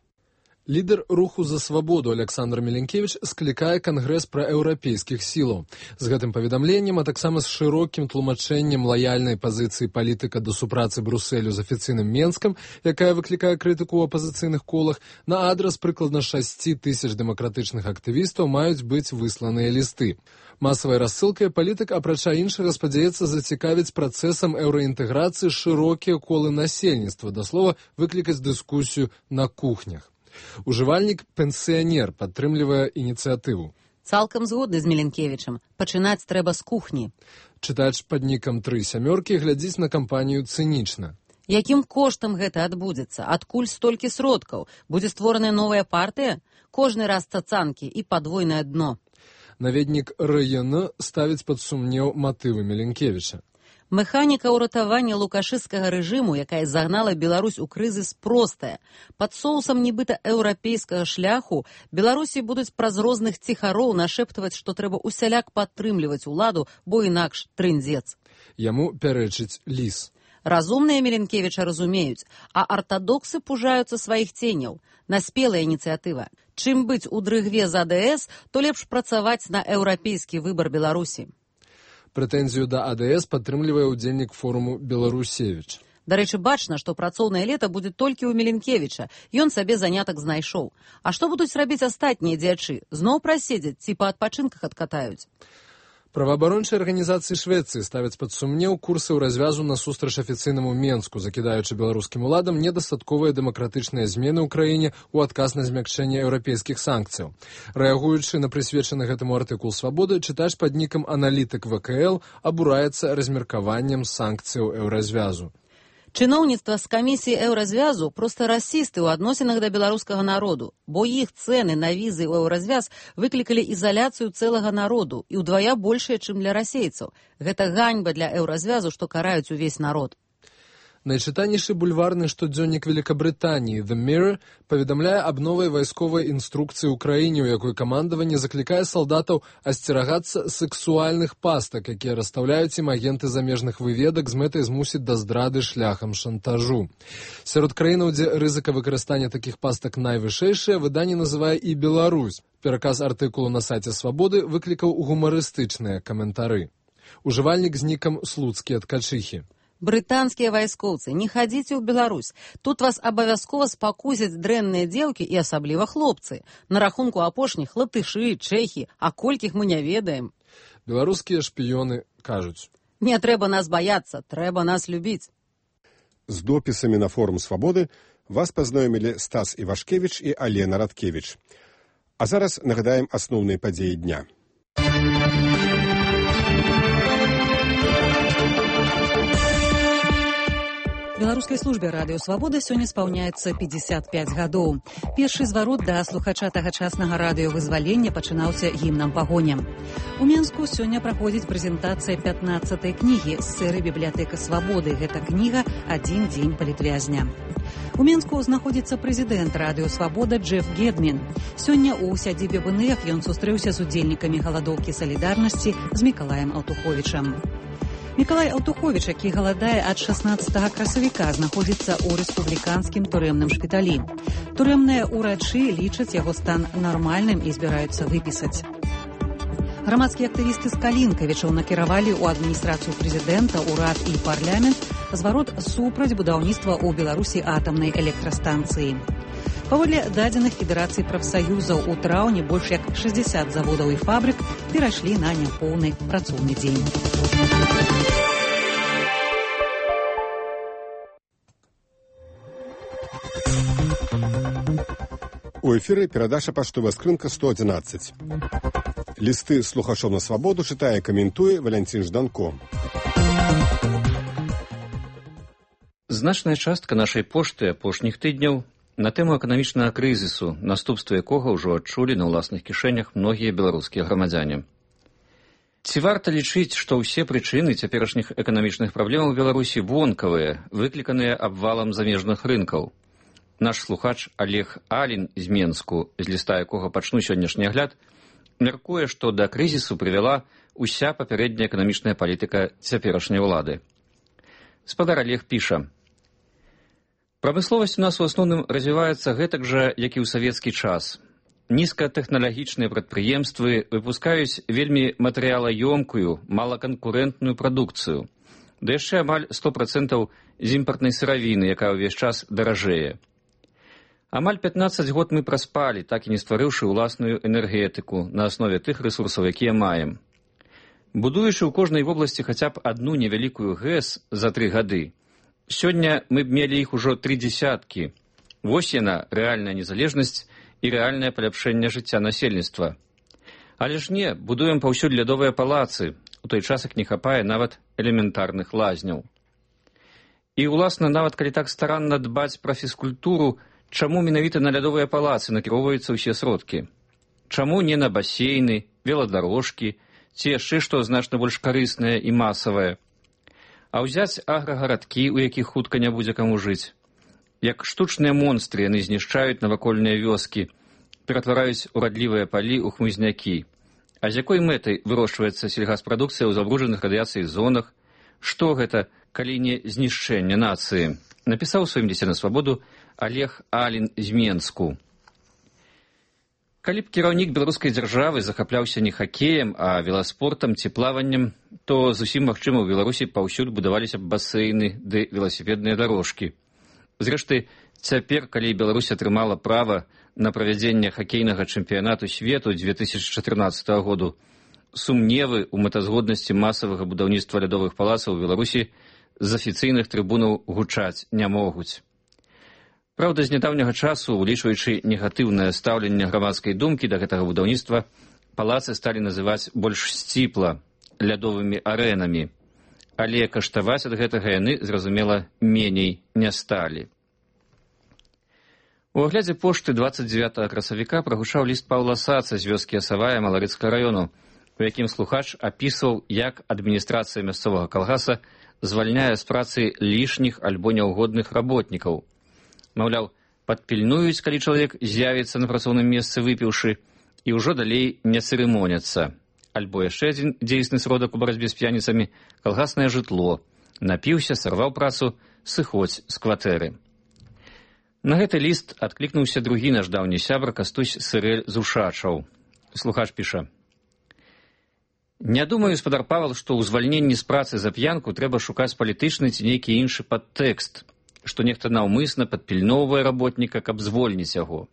Лідар руху за свабоду Александр Меленкевич склікае кангрэс праеўрапейскіх сілаў. З гэтым паведамленнем, а таксама з шырокім тлумачэннем лаяльнай пазіцыі палітыка да супрацы Брусэлю з афіцыйным Менскам, якая выклікае крытыку ў апазіцыйных колах, на адрас прыкладна шасці тысяч дэмакратычных актывістаў маюць быць высланыя лісты. Масавай рассылкай палітык, апрача іншага, спадзяецца зацікавіць працэсам еўраінтэграцыі шырокія колы насельніцтва, да слова, выклікаць дыскусію на кухнях. Ужывальнік пенсіянер падтрымлівае ініцыятыву. Цалкам згодны з Меленкевічам. Пачынаць трэба з кухні. Чытач пад нікам тры сямёркі глядзіць на кампанію цынічна. Якім коштам гэта адбудзецца? Адкуль столькі сродкаў? Будзе створаная новая партыя? Кожны раз цацанкі і падвойнае дно. Наведнік РН ставіць пад сумнеў матывы Меленкевіча. Механіка ўратавання лукашысцкага рэжыму, якая загнала Беларусь у крызіс, простая. Пад соусам нібыта еўрапейскага шляху Беларусі будуць праз розных ціхароў нашэптаваць, што трэба усяляк падтрымліваць уладу, бо інакш трындзец. Яму пярэчыць ліс. Разумныя Меленкевіча разумеюць, а артадоксы пужаюцца сваіх ценяў. Наспелая ініцыятыва. Чым быць у дрыгве з А Д С, то лепш працаваць на еўрапейскі выбар Беларусі. Прэтэнзію да А Д С падтрымлівае ўдзельнік форуму Беларусевіч. Дарэчы, бачна, што працоўнае лета будзе толькі ў Меленкевіча. Ён сабе занятак знайшоў. А што будуць рабіць астатнія дзячы? Зноў праседзяць ці па адпачынках адкатаюць? Праваабарончыя арганізацыі Швецыі ставяць пад сумнеў курсы ў развязу насустрач афіцыйнаму Менску, закідаючы беларускім уладам недастатковыя дэмакратычныя змены ў краіне ў адказ на змякчэнне еўрапейскіх санкцыяў. Рэагуючы на прысвечаны гэтаму артыкул «Свабоды», чытач пад нікам аналітык В К Л абураецца размеркаваннем санкцыяў еўразвязу. Чыноўніцтва з камісіі еўразвязу проста расісты ў адносінах да беларускага народу, бо іх цэны на візы ў еўразвяз выклікалі ізаляцыю цэлага народу і ўдвая большая, чым для расейцаў. Гэта ганьба для еўразвязу, што караюць увесь народ. Найчытанейшы бульварны штодзённік Великабрытаніі The Mirror паведамляе аб новай вайсковай інструкцыі ў краіне, у якой камандаванне заклікае салдатаў асцерагацца сексуальных пастак, якія расстаўляюць ім агенты замежных выведак з мэтай змусіць да здрады шляхам шантажу. Сярод краінаў, дзе рызыка выкарыстання такіх пастак найвышэйшая, выданне называе і Беларусь. Пераказ артыкулу на сайце «Свабоды» выклікаў гумарыстычныя каментары. Ужывальнік з нікам «Слуцкія ткачыхі». Брытанскія вайскоўцы, не хадзіце ў Беларусь. Тут вас абавязкова спакусяць дрэнныя дзеўкі і асабліва хлопцы. На рахунку апошніх латышы, чэхі, а колькіх мы не ведаем. Беларускія шпіёны кажуць. Не трэба нас баяцца, трэба нас любіць. З допісамі на форум «Свабоды» вас пазнаёмілі Стас Івашкевіч і Алена Радкевіч. А зараз нагадаем асноўныя падзеі дня. Беларускай службе радыё «Свабода» сёння спаўняецца пятьдесят пять гадоў. Першы зварот да слухача тагачаснага радыёвызвалення пачынаўся гімнам пагоня. У Менску сёння праходзіць прэзентацыя пятнаццатай кнігі з серыі «Бібліятэка свабоды». Гэта кніга «Адзін дзень палітвязня». У Менску знаходзіцца прэзідэнт радыё «Свабода» Джеф Гедмін. Сёння ў сядзібе вэ эн эф ён сустрэўся з удзельнікамі галадоўкі салідарнасці з Мікалаем Алтуховічам. Мікалай Алтуховіч, які галадае ад шаснаццатага красавіка, знаходзіцца ў рэспубліканскім турэмным шпіталі. Турэмныя ўрачы лічаць яго стан нармальным і збіраюцца выпісаць. Грамадскія актывісты з Калінкавічаў накіравалі ў адміністрацыю прэзідэнта, урад і парламент зварот супраць будаўніцтва ў Беларусі атамнай электрастанцыі. Паводле дадзеных Федэрацыі прафсаюзаў, у траўні больш як шэсцьдзесят заводаў і фабрык перайшлі на няпоўны працоўны дзень. У эфіры перадача паштовая скрынка сто адзінаццаць. Лісты слухачоў на свабоду чытае і каментуе Валянцін Жданко. Значная частка нашай пошты апошніх тыдняў на тэму эканамічнага крызісу, наступствы якога ўжо адчулі на ўласных кішэнях многія беларускія грамадзяне. Ці варта лічыць, што ўсе прычыны цяперашніх эканамічных праблемаў Беларусі вонкавыя, выкліканыя абвалам замежных рынкаў? Наш слухач Олег Алін з Менску, з ліста якога пачну сённяшні агляд, мяркуе, што да крызісу прывяла ўся папярэдняя эканамічная палітыка цяперашняй улады. Спадар Олег піша: Прамысловасць у нас у асноўным развіваецца гэтак жа, як і ў савецкі час. Нізкатэхналагічныя прадпрыемствы выпускаюць вельмі матэрыялаёмкую, малаканкурэнтную прадукцыю, да яшчэ амаль сто процентаў з імпартнай сыравіны, якая ўвесь час даражэе. Амаль пятнаццаць год мы праспалі, так і не стварыўшы ўласную энергетыку на аснове тых рэсурсаў, якія маем. Будуючы ў кожнай вобласці хаця б адну невялікую ГЭС за тры гады, сёння мы б мелі іх ужо тры дзесяткі. Вось яна, рэальная незалежнасць і рэальнае паляпшэнне жыцця насельніцтва. Але ж не, будуем паўсюль лядовыя палацы, у той час як не хапае нават элементарных лазняў. І, уласна, нават калі так старанна дбаць пра фізкультуру, чаму менавіта на лядовыя палацы накіроўваюцца ўсе сродкі? Чаму не на басейны, веладарожкі, ці яшчэ што значна больш карыснае і масавае? А ўзяць аграгарадкі, у якіх хутка не будзе каму жыць? Як штучныя монстры яны знішчаюць навакольныя вёскі, ператвараюць урадлівыя палі ў хмызнякі. А з якой мэтай вырошчваецца сельгаспрадукцыя ў забруджаных радыяцыяй зонах? Што гэта, калі не знішчэнне нацыі? Напісаў у сваім лісце на свабоду Олег Алін з Менску. Калі б кіраўнік беларускай дзяржавы захапляўся не хакеем, а веласпортам ці плаваннем, то зусім магчыма ў Беларусі паўсюль будаваліся б басейны ды веласіпедныя дарожкі. Зрэшты, цяпер, калі Беларусь атрымала права на правядзенне хакейнага чэмпіянату свету дзве тысячы чатырнаццатага году, сумневы ў мэтазгоднасці масавага будаўніцтва лядовых палацаў у Беларусі з афіцыйных трыбунаў гучаць не могуць. Праўда, з нядаўняга часу, улічваючы негатыўнае стаўленне грамадскай думкі да гэтага будаўніцтва, палацы сталі называць больш сціпла лядовымі арэнамі. Але каштаваць ад гэтага яны, зразумела, меней не сталі. У аглядзе пошты дваццаць дзевятага красавіка прагучаў ліст Паўла Саца з вёскі Асавая Маларыцкага раёну, у якім слухач апісваў, як адміністрацыя мясцовага калгаса звальняе з працы лішніх альбо няўгодных работнікаў. Маўляў, падпільнуюць, калі чалавек з'явіцца на працоўным месцы выпіўшы, і ўжо далей не цырымоняцца. Альбо яшчэ адзін дзейсны сродак у барацьбе з п'яніцамі – калгаснае жытло. Напіўся, сарваў працу, сыходзь з кватэры. На гэты ліст адклікнуўся другі наш даўні сябар Кастусь Сырэль з Ушачаў. Слухач піша: «Не думаю, спадар Павел, што ў звальненні з працы за п'янку трэба шукаць палітычны ці нейкі іншы падтэкст, што нехта наўмысна падпільноўвае работніка, каб звольніць яго.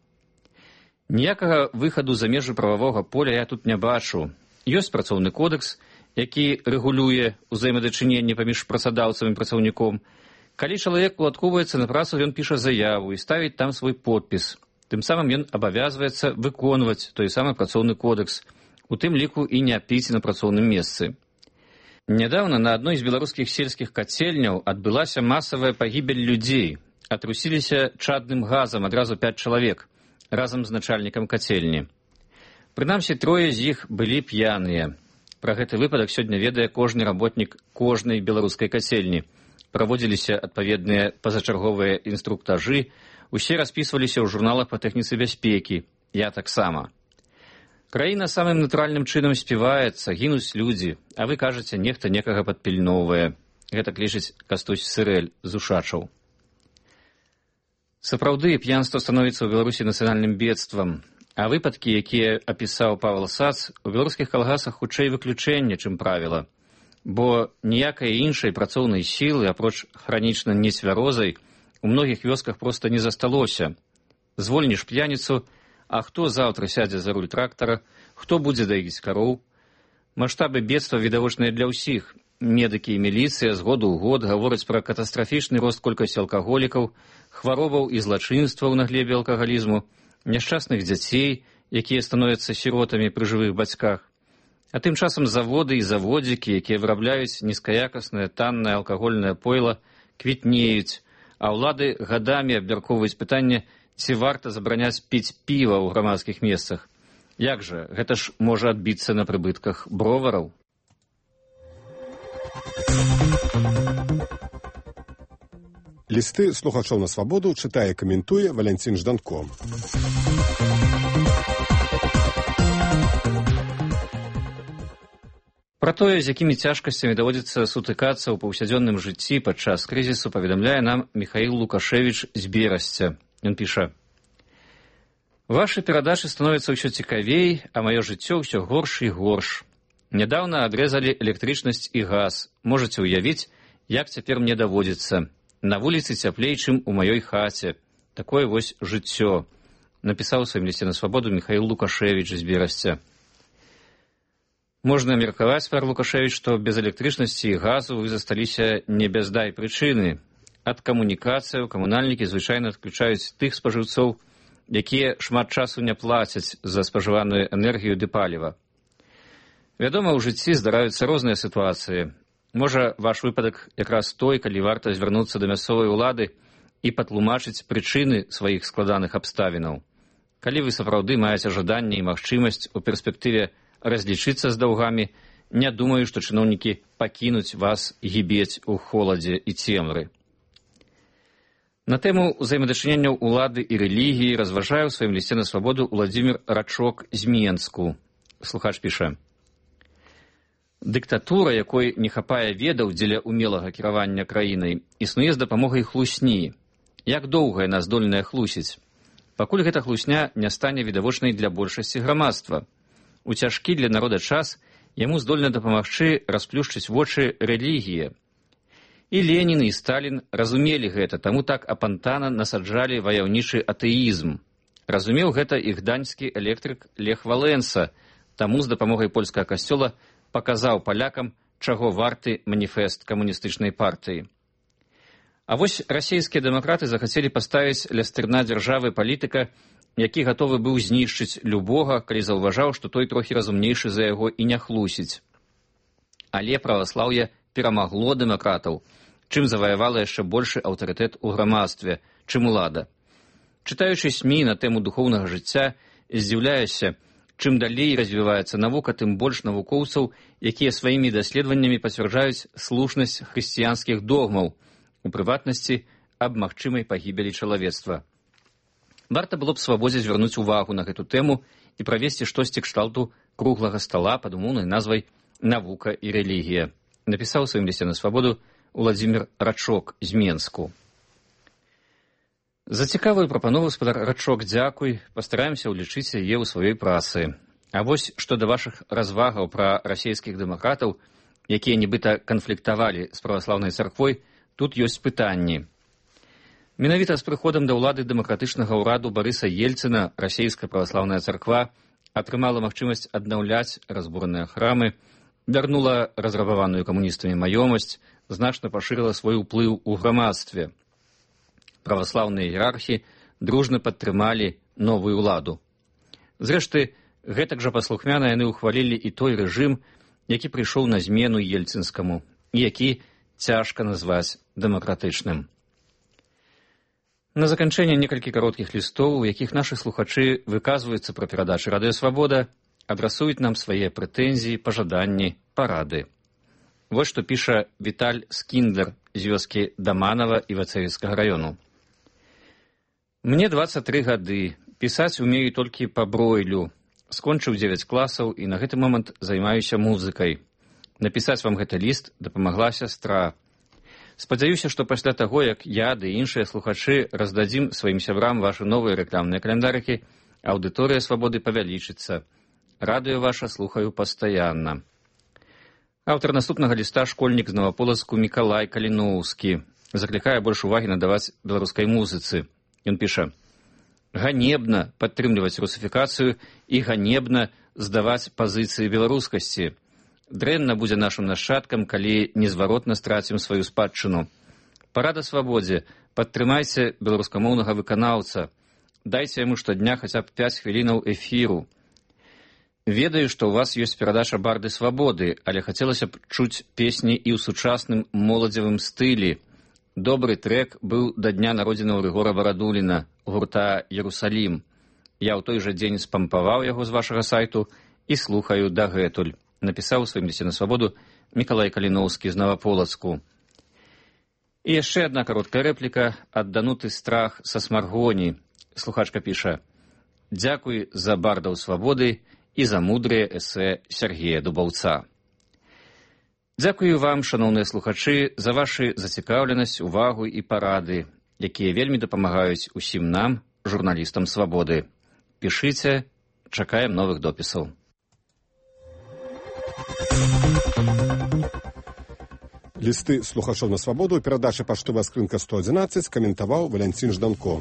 Ніякага выхаду за межы прававога поля я тут не бачу. Ёсць працоўны кодекс, які рэгулюе ўзаемадачыненне паміж працадаўцам і працаўніком. Калі чалавек уладкоўваецца на працу, ён піша заяву і ставіць там свой подпіс. Тым самым ён абавязваецца выконваць той самы працоўны кодекс, у тым ліку і не піць на працоўным месцы. Нядаўна на адной з беларускіх сельскіх кацельняў адбылася масавая пагібель людзей. Атрусіліся чадным газам адразу пяць чалавек разам з начальнікам кацельні. Прынамсі, трое з іх былі п'яныя. Пра гэты выпадак сёння ведае кожны работнік кожнай беларускай кацельні. Праводзіліся адпаведныя пазачарговыя інструктажы, усе распісваліся ў журналах па тэхніцы бяспекі. Я таксама. Краіна самым натуральным чынам співаецца, гінуць людзі, а вы кажаце, нехта некага падпільноўвае. Гэта лічыць Кастусь Сырэль з Ушачаў. Сапраўды, п'янства становіцца ў Беларусі нацыянальным бедствам. А выпадкі, якія апісаў Павел Сац, у беларускіх калгасах хутчэй выключэнне, чым правіла. Бо ніякай іншай працоўнай сілы, апроч хранічна нецвярозай, у многіх вёсках проста не засталося. Звольніш п'яніцу, а хто заўтра сядзе за руль трактара, хто будзе даіць кароў? Маштабы бедства відавочныя для ўсіх. Медыкі і міліцыя з году ў год гавораць пра катастрафічны рост колькасці алкаголікаў, хваробаў і злачынстваў на глебе алкагалізму, няшчасных дзяцей, якія становяцца сіротамі пры жывых бацьках. А тым часам заводы і заводзікі, якія вырабляюць нізкаякаснае таннае алкагольнае пойла, квітнеюць, а ўлады гадамі абмяркоўваюць пытанне, ці варта забараняць піць піва ў грамадскіх месцах. Як жа, гэта ж можа адбіцца на прыбытках бровараў. Лісты слухачоў на свабоду чытае і каментуе Валянцін Жданко. Пра тое, з якімі цяжкасцямі даводзіцца сутыкацца ў паўсядзённым жыцці падчас крызісу, паведамляе нам Михаил Лукашевич з Берасця. Ён піша: «Вашы перадачы становяцца ўсё цікавей, а маё жыццё ўсё горш і горш. Нядаўна адрэзалі электрычнасць і газ. Можаце ўявіць, як цяпер мне даводзіцца. На вуліцы цяплей, чым у маёй хаце. Такое вось жыццё», напісаў у сваім лісце на свабоду Михаил Лукашевич з Берасця. Можна меркаваць, пар Лукашевич, што без электрычнасці і газу вы засталіся не без дай прычыны. Ад камунікацыяў камунальнікі звычайна адключаюць тых спажыўцоў, якія шмат часу не плацяць за спажываную энергію ды паліва. Вядома, у жыцці здараюцца розныя сітуацыі. Можа, ваш выпадак якраз той, калі варта звярнуцца да мясцовай улады і патлумачыць прычыны сваіх складаных абставінаў. Калі вы сапраўды маеце жаданне і магчымасць у перспектыве разлічыцца з даўгамі, не думаю, што чыноўнікі пакінуць вас гібець у холадзе і цемры. На тэму ўзаемадачыненняў улады і рэлігіі разважае ў сваім лісце на свабоду Уладзімір Рачок з Менску. Слухач піша: «Дыктатура, якой не хапае ведаў дзеля умелага кіравання краінай, існуе з дапамогай хлусні. Як доўга яна здольная хлусіць? Пакуль гэта хлусня не стане відавочнай для большасці грамадства. У цяжкі для народа час яму здольна дапамагчы расплюшчыць вочы рэлігія. І Ленін, і Сталін разумелі гэта, таму так апантана насаджалі ваяўнічы атэізм. Разумеў гэта і гданьскі электрык Лех Валенса, таму з дапамогай польскага касцёла паказаў палякам, чаго варты маніфест камуністычнай партыі. А вось расійскія дэмакраты захацелі паставіць ля стырна дзяржавы палітыка, які гатовы быў знішчыць любога, калі заўважаў, што той трохі разумнейшы за яго і не хлусіць. Але праваслаўе перамагло дэмакратаў, чым заваявала яшчэ большы аўтарытэт у грамадстве, чым улада. Чытаючы СМІ на тэму духоўнага жыцця, здзіўляюся, чым далей развіваецца навука, тым больш навукоўцаў, якія сваімі даследаваннямі пацвярджаюць слушнасць хрысціянскіх догмаў, у прыватнасці аб магчымай пагібелі чалавецтва. Варта было б свабодзе звярнуць увагу на гэту тэму і правесці штосьці кшталту круглага стала пад умоўнай назвай «Навука і рэлігія», напісаў у сваім лісце на свабоду Уладзімір Рачок з Менску. За цікавую прапанову, спадар Рачок, дзякуй, пастараемся ўлічыць яе ў сваёй працы. А вось што да вашых развагаў пра расійскіх дэмакратаў, якія нібыта канфліктавалі з праваслаўнай царквой, тут ёсць пытанні. Менавіта з прыходам да ўлады дэмакратычнага ўраду Барыса Ельцына расійская праваслаўная царква атрымала магчымасць аднаўляць разбураныя храмы, вярнула разрабаваную камуністамі маёмасць, значна пашырыла свой уплыў у грамадстве. Праваслаўныя іерархі дружна падтрымалі новую ўладу. Зрэшты, гэтак жа паслухмяна яны ўхвалілі і той рэжым, які прыйшоў на змену ельцынскаму, і які цяжка назваць дэмакратычным. На заканчэнне некалькі кароткіх лістоў, у якіх нашы слухачы выказваюцца пра перадачы Радыё Свабода, адрасуюць нам свае прэтэнзіі, пажаданні, парады. Вось што піша Віталь Скіндлер з вёскі Даманава Івацевіцкага раёну. «Мне дваццаць тры гады, пісаць умею толькі па бройлю. Скончыў дзевяць класаў і на гэты момант займаюся музыкай. Напісаць вам гэты ліст дапамагла сястра. Спадзяюся, што пасля таго, як я ды іншыя слухачы раздадзім сваім сябрам вашы новыя рэкламныя каляндарыкі, аўдыторыя Свабоды павялічыцца. Радыё ваша слухаю пастаянна». Аўтар наступнага ліста школьнік з Наваполацку Мікалай Каліноўскі заклікае больш увагі надаваць беларускай музыцы. Ён піша: «Ганебна падтрымліваць русіфікацыю і ганебна здаваць пазіцыі беларускасці. Дрэнна будзе нашым нашчадкам, калі незваротна страцім сваю спадчыну. Парада Свабодзе, падтрымайце беларускамоўнага выканаўца. Дайце яму штодня хаця б пяць хвілінаў эфіру. Ведаю, што ў вас ёсць перадача «Барды Свабоды», але хацелася б чуць песні і ў сучасным моладзевым стылі. Добры трэк быў да дня народзінаў Рыгора Барадуліна, гурта «Ерусалім». Я ў той жа дзень спампаваў яго з вашага сайту і слухаю дагэтуль», напісаў у сваім лісце на Свабоду Мікалай Каліноўскі з Наваполацку. І яшчэ адна кароткая рэпліка ад Дануты Страх са Смаргоні. Слухачка піша: «Дзякуй за бардаў Свабоды і за мудрыя эсэ Сергея Дубаўца». Дзякую вам, шаноўныя слухачы, за вашу зацікаўленасць, увагу і парады, якія вельмі дапамагаюць усім нам, журналістам «Свабоды». Пішыце, чакаем новых допісаў. Лісты слухачоў на «Свабоду» у перадачы «Паштовая скрынка сто адзінаццаць» каментаваў Валянцін Жданко.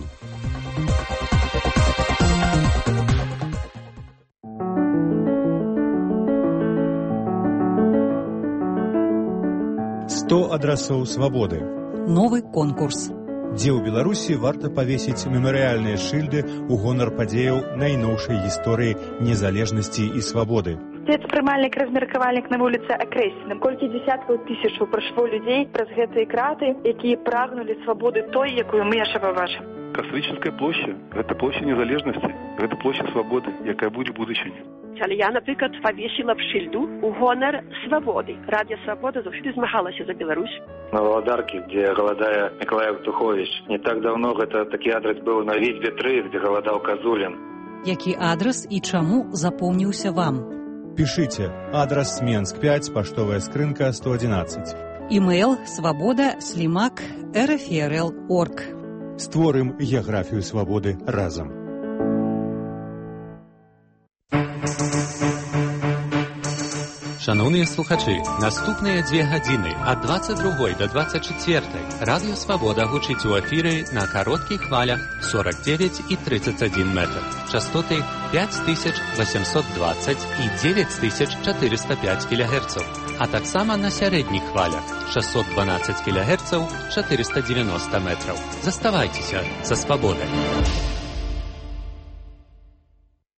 сто адрасоў свабоды. Новы конкурс. Дзе ў Беларусі варта павесіць мемарыяльныя шыльды ў гонар падзеяў найноўшай гісторыі незалежнасці і свабоды. Спецпрымальнік, размеркавальнік на вуліцы Акрэсціна. Колькі дзесяткаў тысячаў прайшло людзей праз гэтыя краты, якія прагнулі свабоды той, якую мы яшчэ пабачым. Кастрычніцкая плошча – гэта плошча незалежнасці, гэта плошча свабоды, якая будзе ў будучыні. Але я, наприклад, павесіла б шыльду у гонар свабоды. Радіо «Свабода» заўсёды змагалася за Беларусь. На Валадарке, где голодая Николай Тухович. Не так давно это такі адрес был на Витьбе три, где голодал Козулин. Які адрес і чаму запомніўся вам? Пишите. Адрес Менск пять, паштовая скрынка сто одиннадцать. Имейл свобода слимак эр эф эр эл точка орг. Створым геаграфію свабоды разам. Шановні слухачі, наступныя дзве гадзіны ад двадцать другой до двадцать четвертой Радіо Свабода гучыць у эфіры на кароткіх хвалях сорок девять и тридцать один метр. Частоты пять тысяч восемьсот двадцать и девять тысяч четыреста пять килогерцаў, а таксама на сярэдніх хвалях шестьсот двенадцать килогерцаў, четыреста девяносто метров. Заставайцеся са Свабодай.